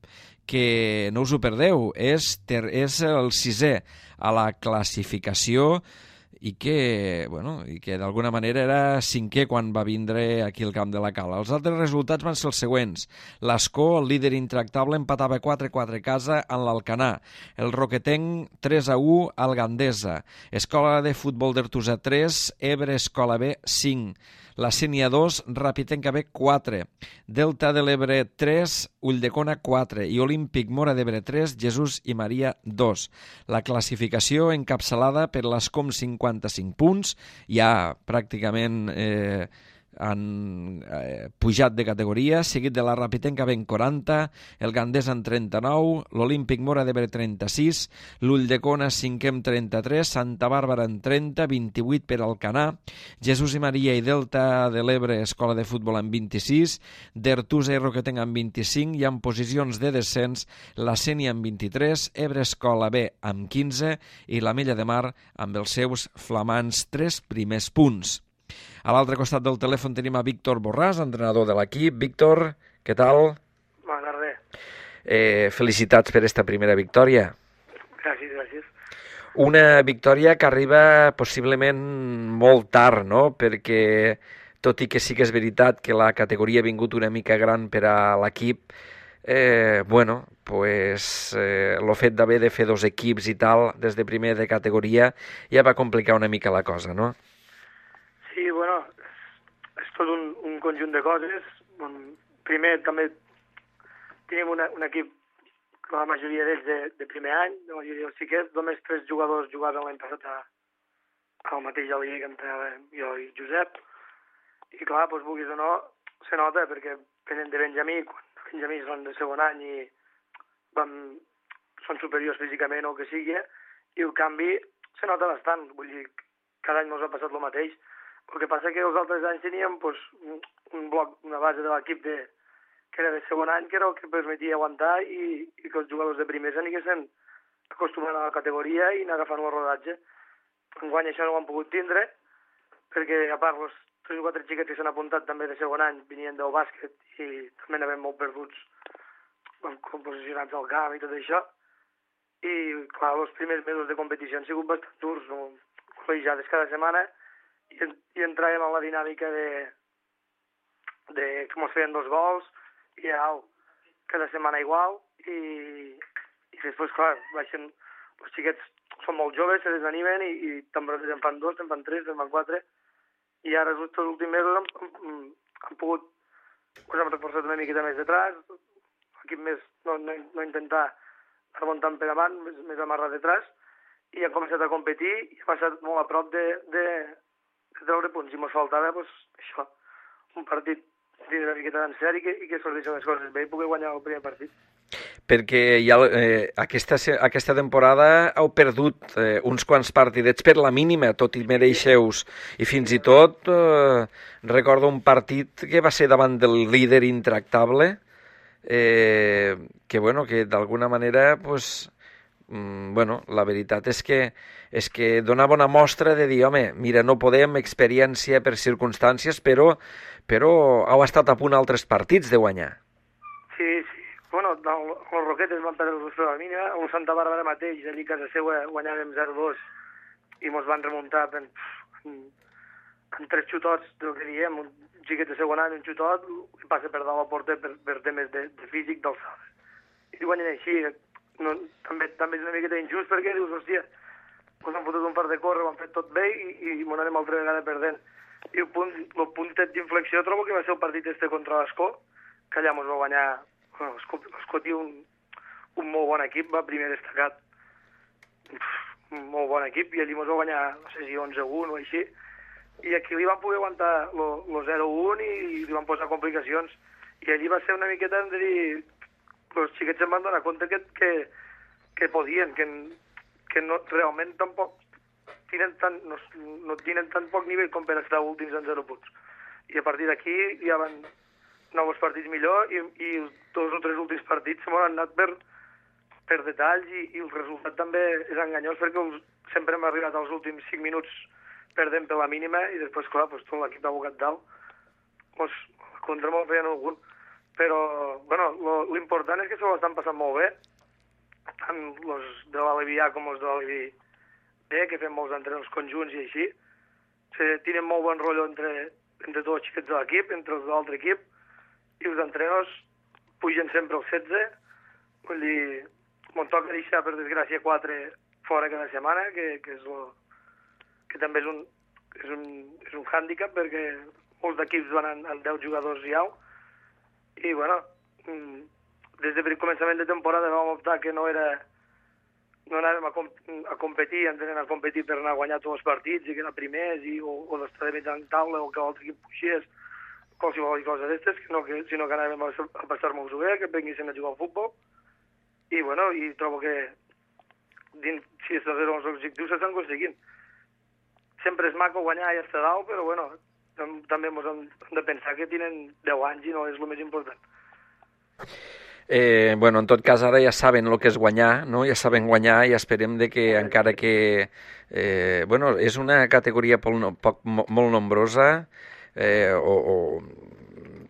que no us ho perdeu, és, ter, és el sisè a la classificació i que, bueno, i que d'alguna manera era cinquè quan va vindre aquí al camp de la Cala. Els altres resultats van ser els següents. L'Escó, el líder intractable, empatava quatre a quatre a casa en l'Alcanar. El Roquetenc tres a u al Gandesa. Escola de Futbol d'Artús tres, Ebre Escola B cinc. La Sénia dos, Ràpitenca B quatre, Delta de l'Ebre tres, Ulldecona quatre i Olímpic Mora d'Ebre tres, Jesús i Maria dos. La classificació encapçalada per l'Escom cinquanta-cinc punts, ja pràcticament eh, han eh, pujat de categoria, seguit de la Ràpitenca B en quaranta, el Gandesa en trenta-nou, l'Olímpic Mora d'Ebre trenta-sis, l'Ulldecona cinquè amb trenta-tres, Santa Bàrbara en trenta, vint-i-vuit per Alcanar, Jesús i Maria i Delta de l'Ebre Escola de Futbol amb vint-i-sis, d'Artusa i Roquetenc amb vint-i-cinc i en posicions de descens la Sénia amb vint-i-tres, Ebre Escola B amb quinze i l'Ametlla de Mar amb els seus flamants tres primers punts. A l'altre costat del telèfon tenim a Víctor Borràs, entrenador de l'equip. Víctor, què tal? Bona tarda. Eh, felicitats per esta primera victòria. Gràcies, gràcies. Una victòria que arriba possiblement molt tard, no? Perquè, tot i que sí que és veritat que la categoria ha vingut una mica gran per a l'equip, eh, bueno, pues, eh, el fet d'haver de fer dos equips i tal, des de primer de categoria, ja va complicar una mica la cosa, no? Sí, bueno, és, és tot un, un conjunt de coses. Primer, també tenim una, un equip, la majoria d'ells de, de primer any, la majoria dels xiquets, només tres jugadors jugaven l'any passat a, al mateix alier que entrenava jo i Josep, i clar, doncs, vulguis o no, se nota, perquè venen de Benjamí, quan Benjamí són de segon any i van, són superiors físicament o el que sigui, i el canvi se nota bastant, vull dir, cada any ens ha passat el mateix. El que passa que els altres anys teníem pues, un, un bloc, una base de l'equip de, que era de segon any, que era el que permetia aguantar i, i que els jugadors de primers anissin acostumant a la categoria i anar agafant el rodatge. Enguany això no ho han pogut tindre, perquè a part els tres o quatre xiquets que s'han apuntat també de segon any venien del bàsquet i també n'havem molt perduts posicionats al camp i tot això. I clar, els primers mesos de competició han sigut bastant durs, no? Col·legiades cada setmana, i, i entràvem en la dinàmica de, de com es feien dos gols i au, cada setmana igual i, i després clar baixen, els xiquets són molt joves, se desanimen i, i també en fan dos, en fan tres, en fan quatre i ara just els últims mesos han, han, han pogut us hem reforçat una miqueta més detrás, l'equip més no, no, no intentar remuntant per davant, més, més amarrat detrás i han començat a competir i ha passat molt a prop de, de de treure punts, i mos faltava pues, això, un partit dins una miqueta en sèrie i que, i que sorteixen les coses bé i poder guanyar el primer partit. Perquè ja, eh, aquesta, aquesta temporada heu perdut eh, uns quants partidets per la mínima, tot i mereixeus, i fins i tot eh, recordo un partit que va ser davant del líder intractable, eh, que bueno, que d'alguna manera pues, mm, bueno, la veritat és que és que donava una mostra de dir, home, mira, no podem, experiència per circumstàncies, però, però heu estat a punt altres partits de guanyar. Sí, sí. Bueno, els Roquetes van perdre el la mínima, el Santa Bàrbara mateix, allí a casa seva guanyàvem zero dos i mos van remuntar en, en, en tres xutots, del que diem, un xiquet de segon any, un xutot, i passa per dalt la porta per, per temes de, de físic d'alçada. I guanyen així, no, també, també és una miqueta injust perquè dius, hòstia, ens han fotut un fart de córrer, ho han fet tot bé i, i m'ho anem altra vegada perdent. I el, punt, el puntet d'inflexió trobo que va ser el partit este contra l'Escó, que allà ens va guanyar. Bueno, l'Escó té un, un molt bon equip, va primer destacat. Un molt bon equip, i allí ens va guanyar, no sé si onze a u o així. I aquí li van poder aguantar el zero a u i li van posar complicacions. I allí va ser una miqueta de dir... Els xiquets se'n van donar compte que, que que podien, que, que no, realment tampoc tenen tan, no, no tenen tan poc nivell com per estar últims en zero punts. I a partir d'aquí ja van nous partits millor i, i els dos o tres últims partits se m'han anat per, per detalls i, i el resultat també és enganyós perquè els, sempre hem arribat als últims cinc minuts perdent per la mínima i després, clar, pues, tot l'equip abocat dalt, pues, contra molt feien algun. Però, bueno, l'important és que se ho estan passant molt bé, tant els de l'Alevi A com els de l'Alevi B, que fem molts entrenaments conjunts i així. Se tenen molt bon rotllo entre, entre tots els xiquets de l'equip, entre els de l'altre equip, i els entrenadors pugen sempre els setze, vull dir, m'ho toca deixar, per desgràcia, quatre fora cada setmana, que, que, és lo, que també és un, és un, és un hàndicap, perquè molts d'equips van amb, amb deu jugadors i au, i, bueno, des de començament de temporada vam optar que no era no anàvem a, com, a competir, entenem a competir per anar a guanyar tots els partits i quedar primers, i, o, o d'estar de mitjà en taula, o que l'altre equip puixés, qualsevol cosa d'estes, no que, sinó que anàvem a, a passar-nos-ho bé, que venguessin a jugar al futbol. I, bueno, i trobo que dins, si aquests els objectius s'estan aconseguint. Sempre és maco guanyar i estar dalt, però, bueno, també ens hem de pensar que tenen deu anys i no és el més important. Eh, bueno, en tot cas, ara ja saben el que és guanyar, no? Ja saben guanyar i esperem de que, encara que... Eh, bueno, és una categoria poc, poc, molt nombrosa, eh, o, o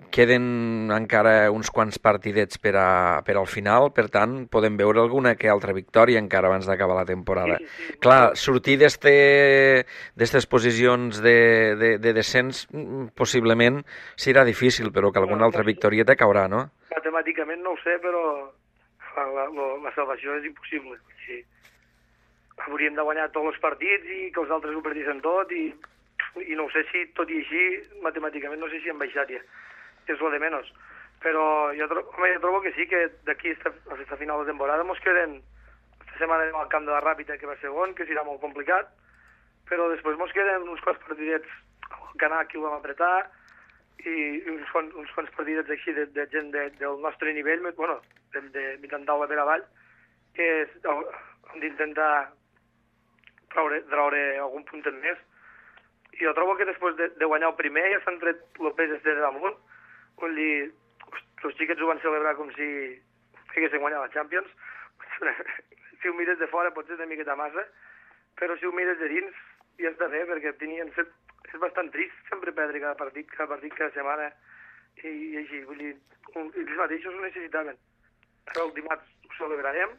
queden encara uns quants partidets per, a, per al final, per tant, podem veure alguna que altra victòria encara abans d'acabar la temporada. Sí, sí. Clar, sortir d'aquestes posicions de, de, de descens possiblement serà difícil, però que alguna altra victòria te caurà, no? Matemàticament no ho sé, però la, la, la salvació és impossible. Sí. Hauríem de guanyar tots els partits i que els altres ho perdissin tot, i, i no ho sé si, tot i així, matemàticament no sé si hem baixat ja. És lo de menys. Però jo, tro home, jo trobo que sí, que d'aquí a aquesta final de temporada mos queden esta setmana al camp de la Ràpita, que va segon, que serà molt complicat, però després mos queden uns quants partidets al Canà que ho vam apretar, i uns quants, uns quants partidets així de, de gent de, del nostre nivell, bueno, de, de mitjan taula per avall, que és, hem d'intentar traure, traure algun punt en més. I jo trobo que després de, de guanyar el primer ja s'han tret el pes de damunt. Vull dir, els xiquets ho van celebrar com si haguessin guanyat la Champions. Si ho mires de fora potser és una miqueta massa, però si ho mires de dins ja està bé, perquè tenien set... és bastant trist sempre perdre cada partit, cada partit cada setmana, i, i així, vull dir, un, ells mateixos ho necessitaven. Ara el dimarts ho celebrarem,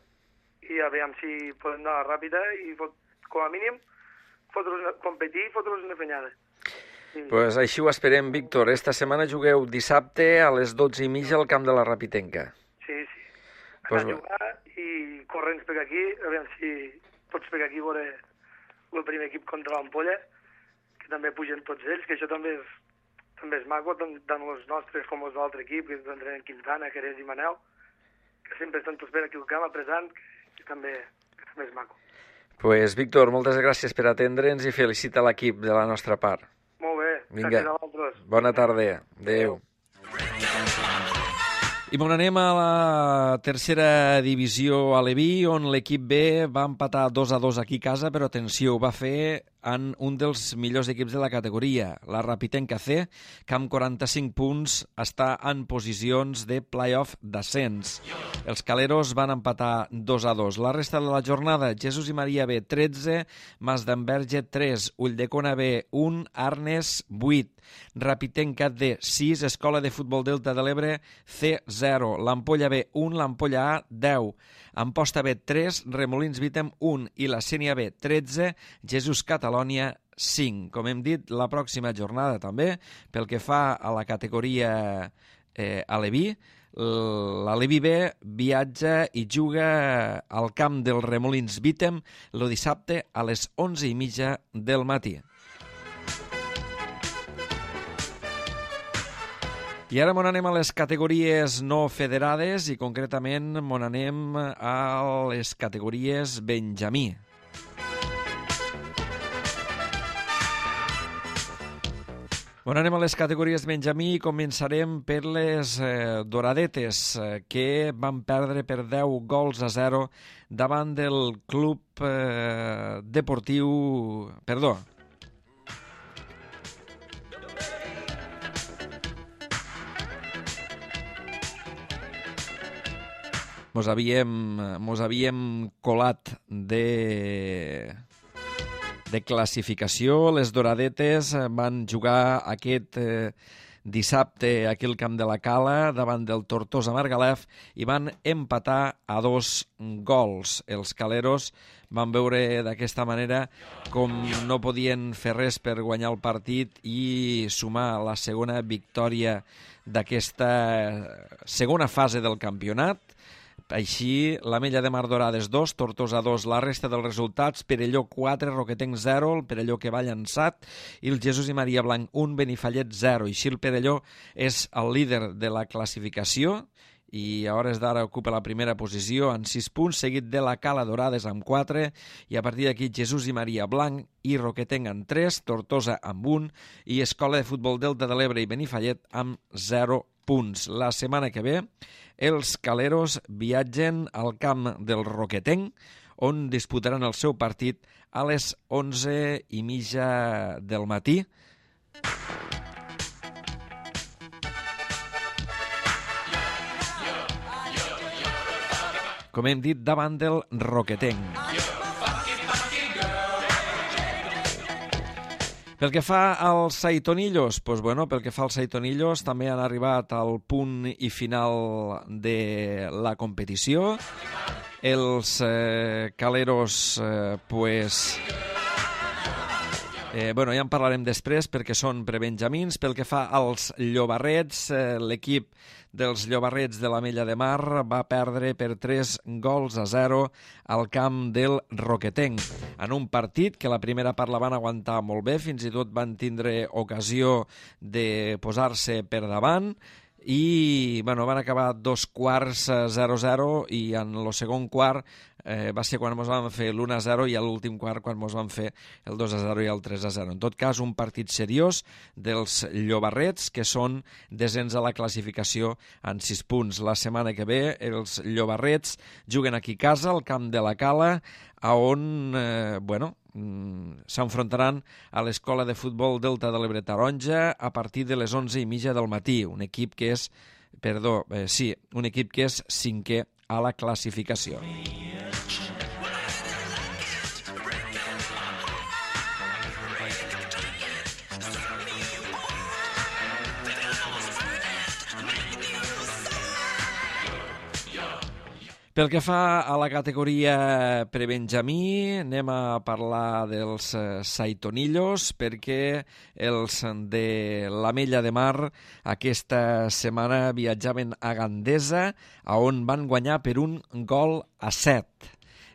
i a veure si podem anar ràpida i, fot, com a mínim, competir i fotre'ls una fenyada. Sí. Pues així ho esperem, Víctor. Esta setmana jugueu dissabte a les dotze i mitja al camp de la Rapitenca. Sí, sí. Anar pues... a jugar i corrents per aquí, a veure si tots per aquí veure el primer equip contra l'Ampolla, que també pugen tots ells, que això també és, també és maco, tant, tant els nostres com els de l'altre equip, que entrenen Quintana, Querés i Manel, que sempre estan tots per aquí al camp apresant, que, que, també, que també és maco. Pues, Víctor, moltes gràcies per atendre'ns i felicita l'equip de la nostra part. Molt bé, vinga, gràcies a vosaltres. Bona tarda. Adéu. I bon, anem a la tercera divisió aleví, on l'equip B va empatar dos a dos aquí a casa, però atenció, ho va fer en un dels millors equips de la categoria, la Rapitenca C, que amb quaranta-cinc punts està en posicions de play-off d'ascens. Els caleros van empatar dos a dos. La resta de la jornada, Jesús i Maria B, tretze, Mas d'Enverge, tres, Ulldecona B, un, Arnes, vuit, Rapitenca D, sis, Escola de Futbol Delta de l'Ebre, C, zero, l'Ampolla B, un, l'Ampolla A, deu, Amposta B, tres, Remolins Vítem, un, i la Sénia B, tretze, Jesús Catalònia, cinc. Com hem dit, la pròxima jornada també, pel que fa a la categoria eh, aleví, l'Aleví B viatja i juga al camp del Remolins Vítem el dissabte a les onze i mitja del matí. I ara mon anem a les categories no federades i concretament mon anem a les categories Benjamí. Bueno, anem a les categories Benjamí i començarem per les eh, Doradetes, eh, que van perdre per deu gols a zero davant del club eh, deportiu... Perdó. Mos havíem, mos havíem colat de... de classificació. Les Doradetes van jugar aquest eh, dissabte aquí al Camp de la Cala davant del Tortosa Margalef i van empatar a dos gols. Els caleros van veure d'aquesta manera com no podien fer res per guanyar el partit i sumar la segona victòria d'aquesta segona fase del campionat. Així, l'Ametlla de Mar Dorades dos, Tortosa dos, la resta dels resultats: Perelló quatre, Roquetenc zero, el Perelló que va llançat, i el Jesús i Maria Blanc un, Benifallet zero. Així el Perelló és el líder de la classificació i a hores d'ara ocupa la primera posició amb sis punts, seguit de la Cala Dorades amb quatre, i a partir d'aquí Jesús i Maria Blanc i Roquetenc amb tres, Tortosa amb un i Escola de Futbol Delta de l'Ebre i Benifallet amb zero punts. La setmana que ve els caleros viatgen al camp del Roquetenc, on disputaran el seu partit a les onze i mitja del matí. Com hem dit, davant del Roquetenc. Pel que fa als Saitonillos, doncs, bueno, pel que fa als Saitonillos també han arribat al punt i final de la competició. Els eh, caleros, eh, pues, eh, bueno, ja en parlarem després perquè són prebenjamins. Pel que fa als llobarrets, eh, l'equip dels llobarrets de l'Ametlla de Mar va perdre per tres gols a zero al camp del Roquetenc, en un partit que la primera part la van aguantar molt bé, fins i tot van tindre ocasió de posar-se per davant i bueno, van acabar dos quarts zero zero i en el segon quart eh, va ser quan ens van fer l'u a zero i a l'últim quart quan ens van fer el dos a zero i el tres a zero. En tot cas, un partit seriós dels llobarrets, que són desens a la classificació en sis punts. La setmana que ve els llobarrets juguen aquí a casa, al Camp de la Cala, a on, eh, bueno, s'enfrontaran a l'Escola de Futbol Delta de l'Ebre Taronja a partir de les onze i mitja del matí. Un equip que és, perdó, eh, sí, un equip que és cinquè a la classificació. Pel que fa a la categoria prebenjamí, anem a parlar dels Saitonillos, perquè els de l'Ametlla de Mar aquesta setmana viatjaven a Gandesa, on van guanyar per un gol a set.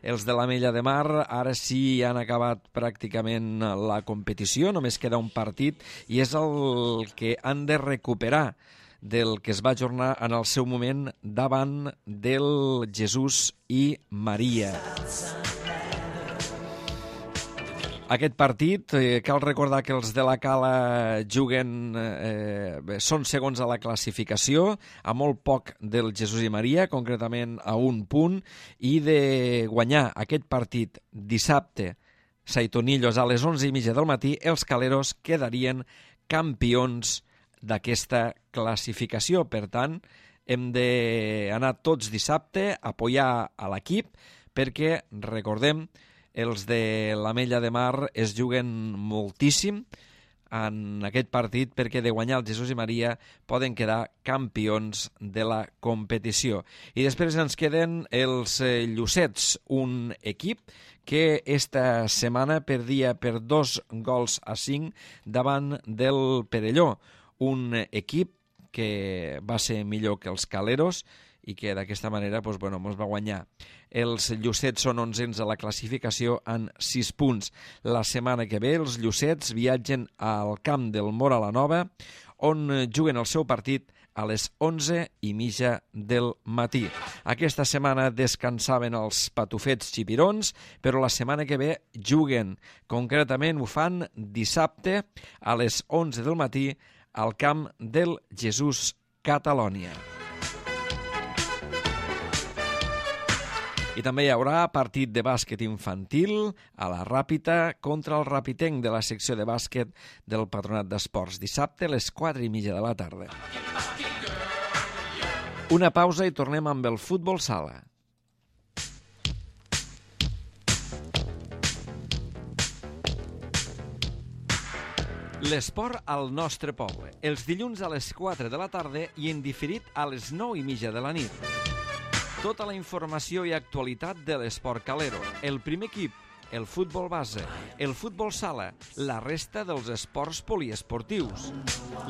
Els de l'Ametlla de Mar ara sí han acabat pràcticament la competició, només queda un partit i és el que han de recuperar del que es va ajornar en el seu moment davant del Jesús i Maria. Aquest partit, eh, cal recordar que els de la Cala juguen, eh, són segons a la classificació, a molt poc del Jesús i Maria, concretament a un punt, i de guanyar aquest partit dissabte, Saitonillos, a les onze i mitja del matí, els caleros quedarien campions d'aquesta classificació. Per tant, hem d'anar tots dissabte a apoyar a l'equip perquè, recordem, els de l'Ametlla de Mar es juguen moltíssim en aquest partit perquè de guanyar el Jesús i Maria poden quedar campions de la competició. I després ens queden els Llucets, un equip que esta setmana perdia per dos gols a cinc davant del Perelló, un equip que va ser millor que els caleros i que d'aquesta manera doncs, bueno, ens va guanyar. Els Llucets són onzens a la classificació en sis punts. La setmana que ve els Llucets viatgen al camp del Móra la Nova, on juguen el seu partit a les onze i mitja del matí. Aquesta setmana descansaven els patufets xipirons, però la setmana que ve juguen. Concretament ho fan dissabte a les onze del matí al camp del Jesús Catalònia. I també hi haurà partit de bàsquet infantil a la Ràpita contra el Rapitenc de la secció de bàsquet del Patronat d'Esports, dissabte a les quatre i mitja de la tarda. Una pausa i tornem amb el futbol sala. L'esport al nostre poble, els dilluns a les quatre de la tarda i en diferit a les nou i mitja de la nit. Tota la informació i actualitat de l'esport calero, el primer equip, el futbol base, el futbol sala, la resta dels esports poliesportius.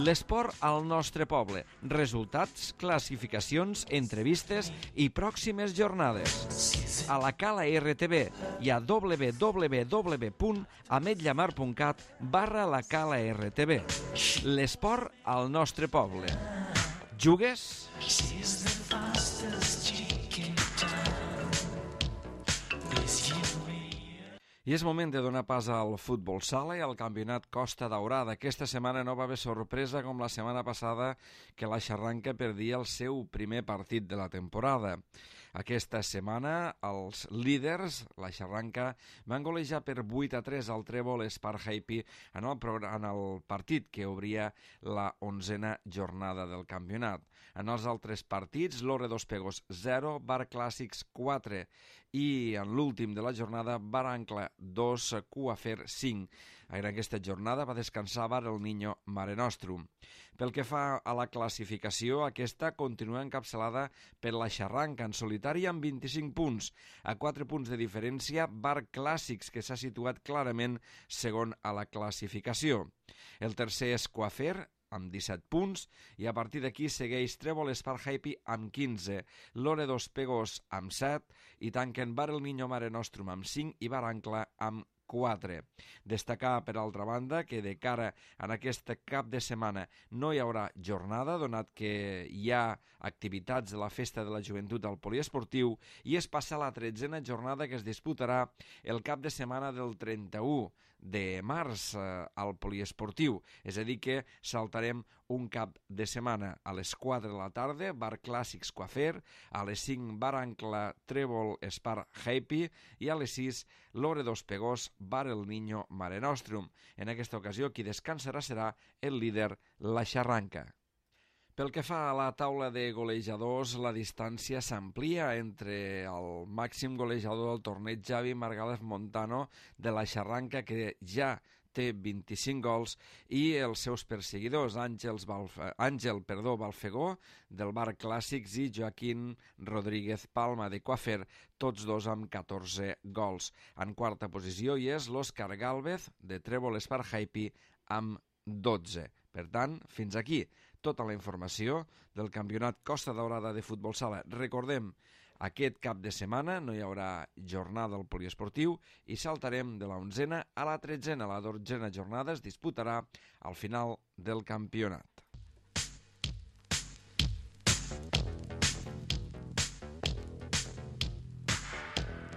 L'esport al nostre poble, resultats, classificacions, entrevistes i pròximes jornades. A la Cala R T V i a w w w punt ametlla mar punt cat barra la Cala R T V. L'esport al nostre poble. Jugues? I és moment de donar pas al futbol sala i al campionat Costa Daurada. Aquesta setmana no va haver sorpresa com la setmana passada que la Xarranca perdia el seu primer partit de la temporada. Aquesta setmana els líders, la Xarranca, van golejar per vuit a tres al Trèvol Espar Happy en el, en el partit que obria la onzena jornada del campionat. En els altres partits, l'Orre dos Pegos zero, Bar Clàssics quatre i en l'últim de la jornada, Barancla dos, Cuafer cinc. En aquesta jornada va descansar Bar el Niño Mare Nostrum. Pel que fa a la classificació, aquesta continua encapçalada per la Xarranca en solitari amb vint-i-cinc punts. A quatre punts de diferència, Bar Clàssics, que s'ha situat clarament segon a la classificació. El tercer és Cuafer, amb disset punts, i a partir d'aquí segueix Trèvol Espar Happy amb quinze, l'Ore dos Pegos amb set, i tanquen Bar el Niño Mare Nostrum amb cinc i Barancla amb quatre. Destacar, per altra banda, que de cara a aquest cap de setmana no hi haurà jornada, donat que hi ha activitats de la Festa de la Joventut al Poliesportiu i es passa la tretzena jornada que es disputarà el cap de setmana del trenta-u de març eh, al Poliesportiu. És a dir que saltarem un cap de setmana. A les quatre de la tarda, Bar Clàssics Coafer, a les cinc Barancla Trèvol Espar Happy i a les sis l'Ore dos Pegos Bar el Niño Mare Nostrum. En aquesta ocasió qui descansarà serà el líder, la Xarranca. Pel que fa a la taula de golejadors, la distància s'amplia entre el màxim golejador del torneig, Javi Margález Montano, de la Xarranca, que ja té vint-i-cinc gols, i els seus perseguidors, Àngels Balf... Àngel perdó, Balfegó, del Bar Clàssics, i Joaquín Rodríguez Palma, de Coafer, tots dos amb catorze gols. En quarta posició hi és l'Òscar Gálvez, de Trèvol Espar Happy, amb dotze. Per tant, fins aquí tota la informació del campionat Costa Daurada de futbol sala. Recordem, aquest cap de setmana no hi haurà jornada al poliesportiu i saltarem de la onzena a la tretzena. La dotzena jornada es disputarà al final del campionat.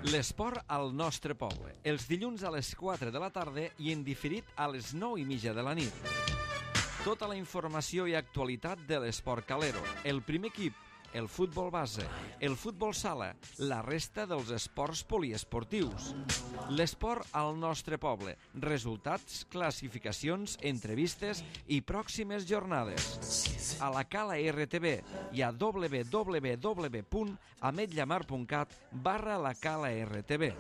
L'esport al nostre poble, els dilluns a les quatre de la tarda i en diferit a les nou i mitja de la nit. Tota la informació i actualitat de l'esport calero, el primer equip, el futbol base, el futbol sala, la resta dels esports poliesportius. L'esport al nostre poble, resultats, classificacions, entrevistes i pròximes jornades. A la Cala R T V i a w w w punt ametlla mar punt cat barra la Cala R T V.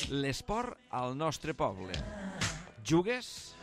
L'esport al nostre poble. Jugues?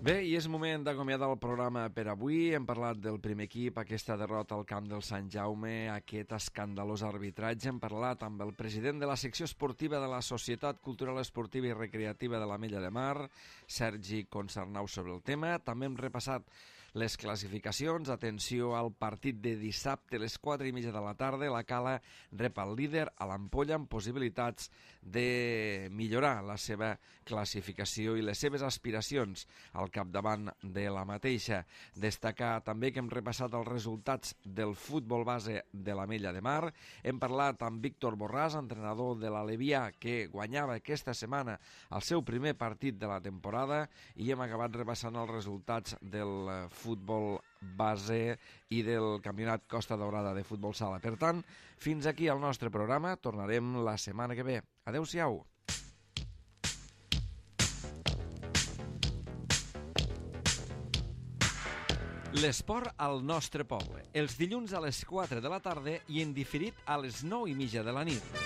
Bé, i és moment d'acomiadar el programa per avui. Hem parlat del primer equip, aquesta derrota al camp del Sant Jaume, aquest escandalós arbitratge. Hem parlat amb el president de la secció esportiva de la Societat Cultural Esportiva i Recreativa de l'Ametlla de Mar, Sergi Concernau, sobre el tema. També hem repassat les classificacions. Atenció al partit de dissabte a les quatre i mitja de la tarda. La Cala rep el líder a l'Ampolla amb possibilitats de millorar la seva classificació i les seves aspiracions al capdavant de la mateixa. Destacar també que hem repassat els resultats del futbol base de l'Ametlla de Mar. Hem parlat amb Víctor Borràs, entrenador de l'Alevià, que guanyava aquesta setmana el seu primer partit de la temporada, i hem acabat repassant els resultats del futbol base i del campionat Costa Daurada de futbol sala. Per tant, fins aquí el nostre programa. Tornarem la setmana que ve. Adéu-siau. L'esport al nostre poble, els dilluns a les quatre de la tarda i en diferit a les nou i mitja de la nit.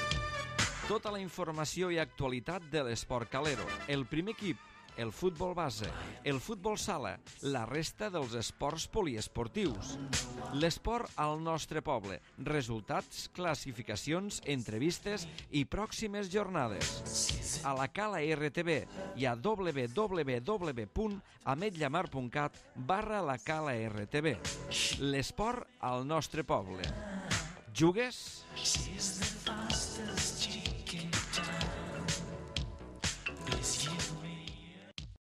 Tota la informació i actualitat de l'esport calero, el primer equip, el futbol base, el futbol sala, la resta dels esports poliesportius. L'esport al nostre poble, resultats, classificacions, entrevistes i pròximes jornades. A la Cala R T V i a w w w punt ametllamar punt cat barra la Cala R T V. L'esport al nostre poble. Jugues?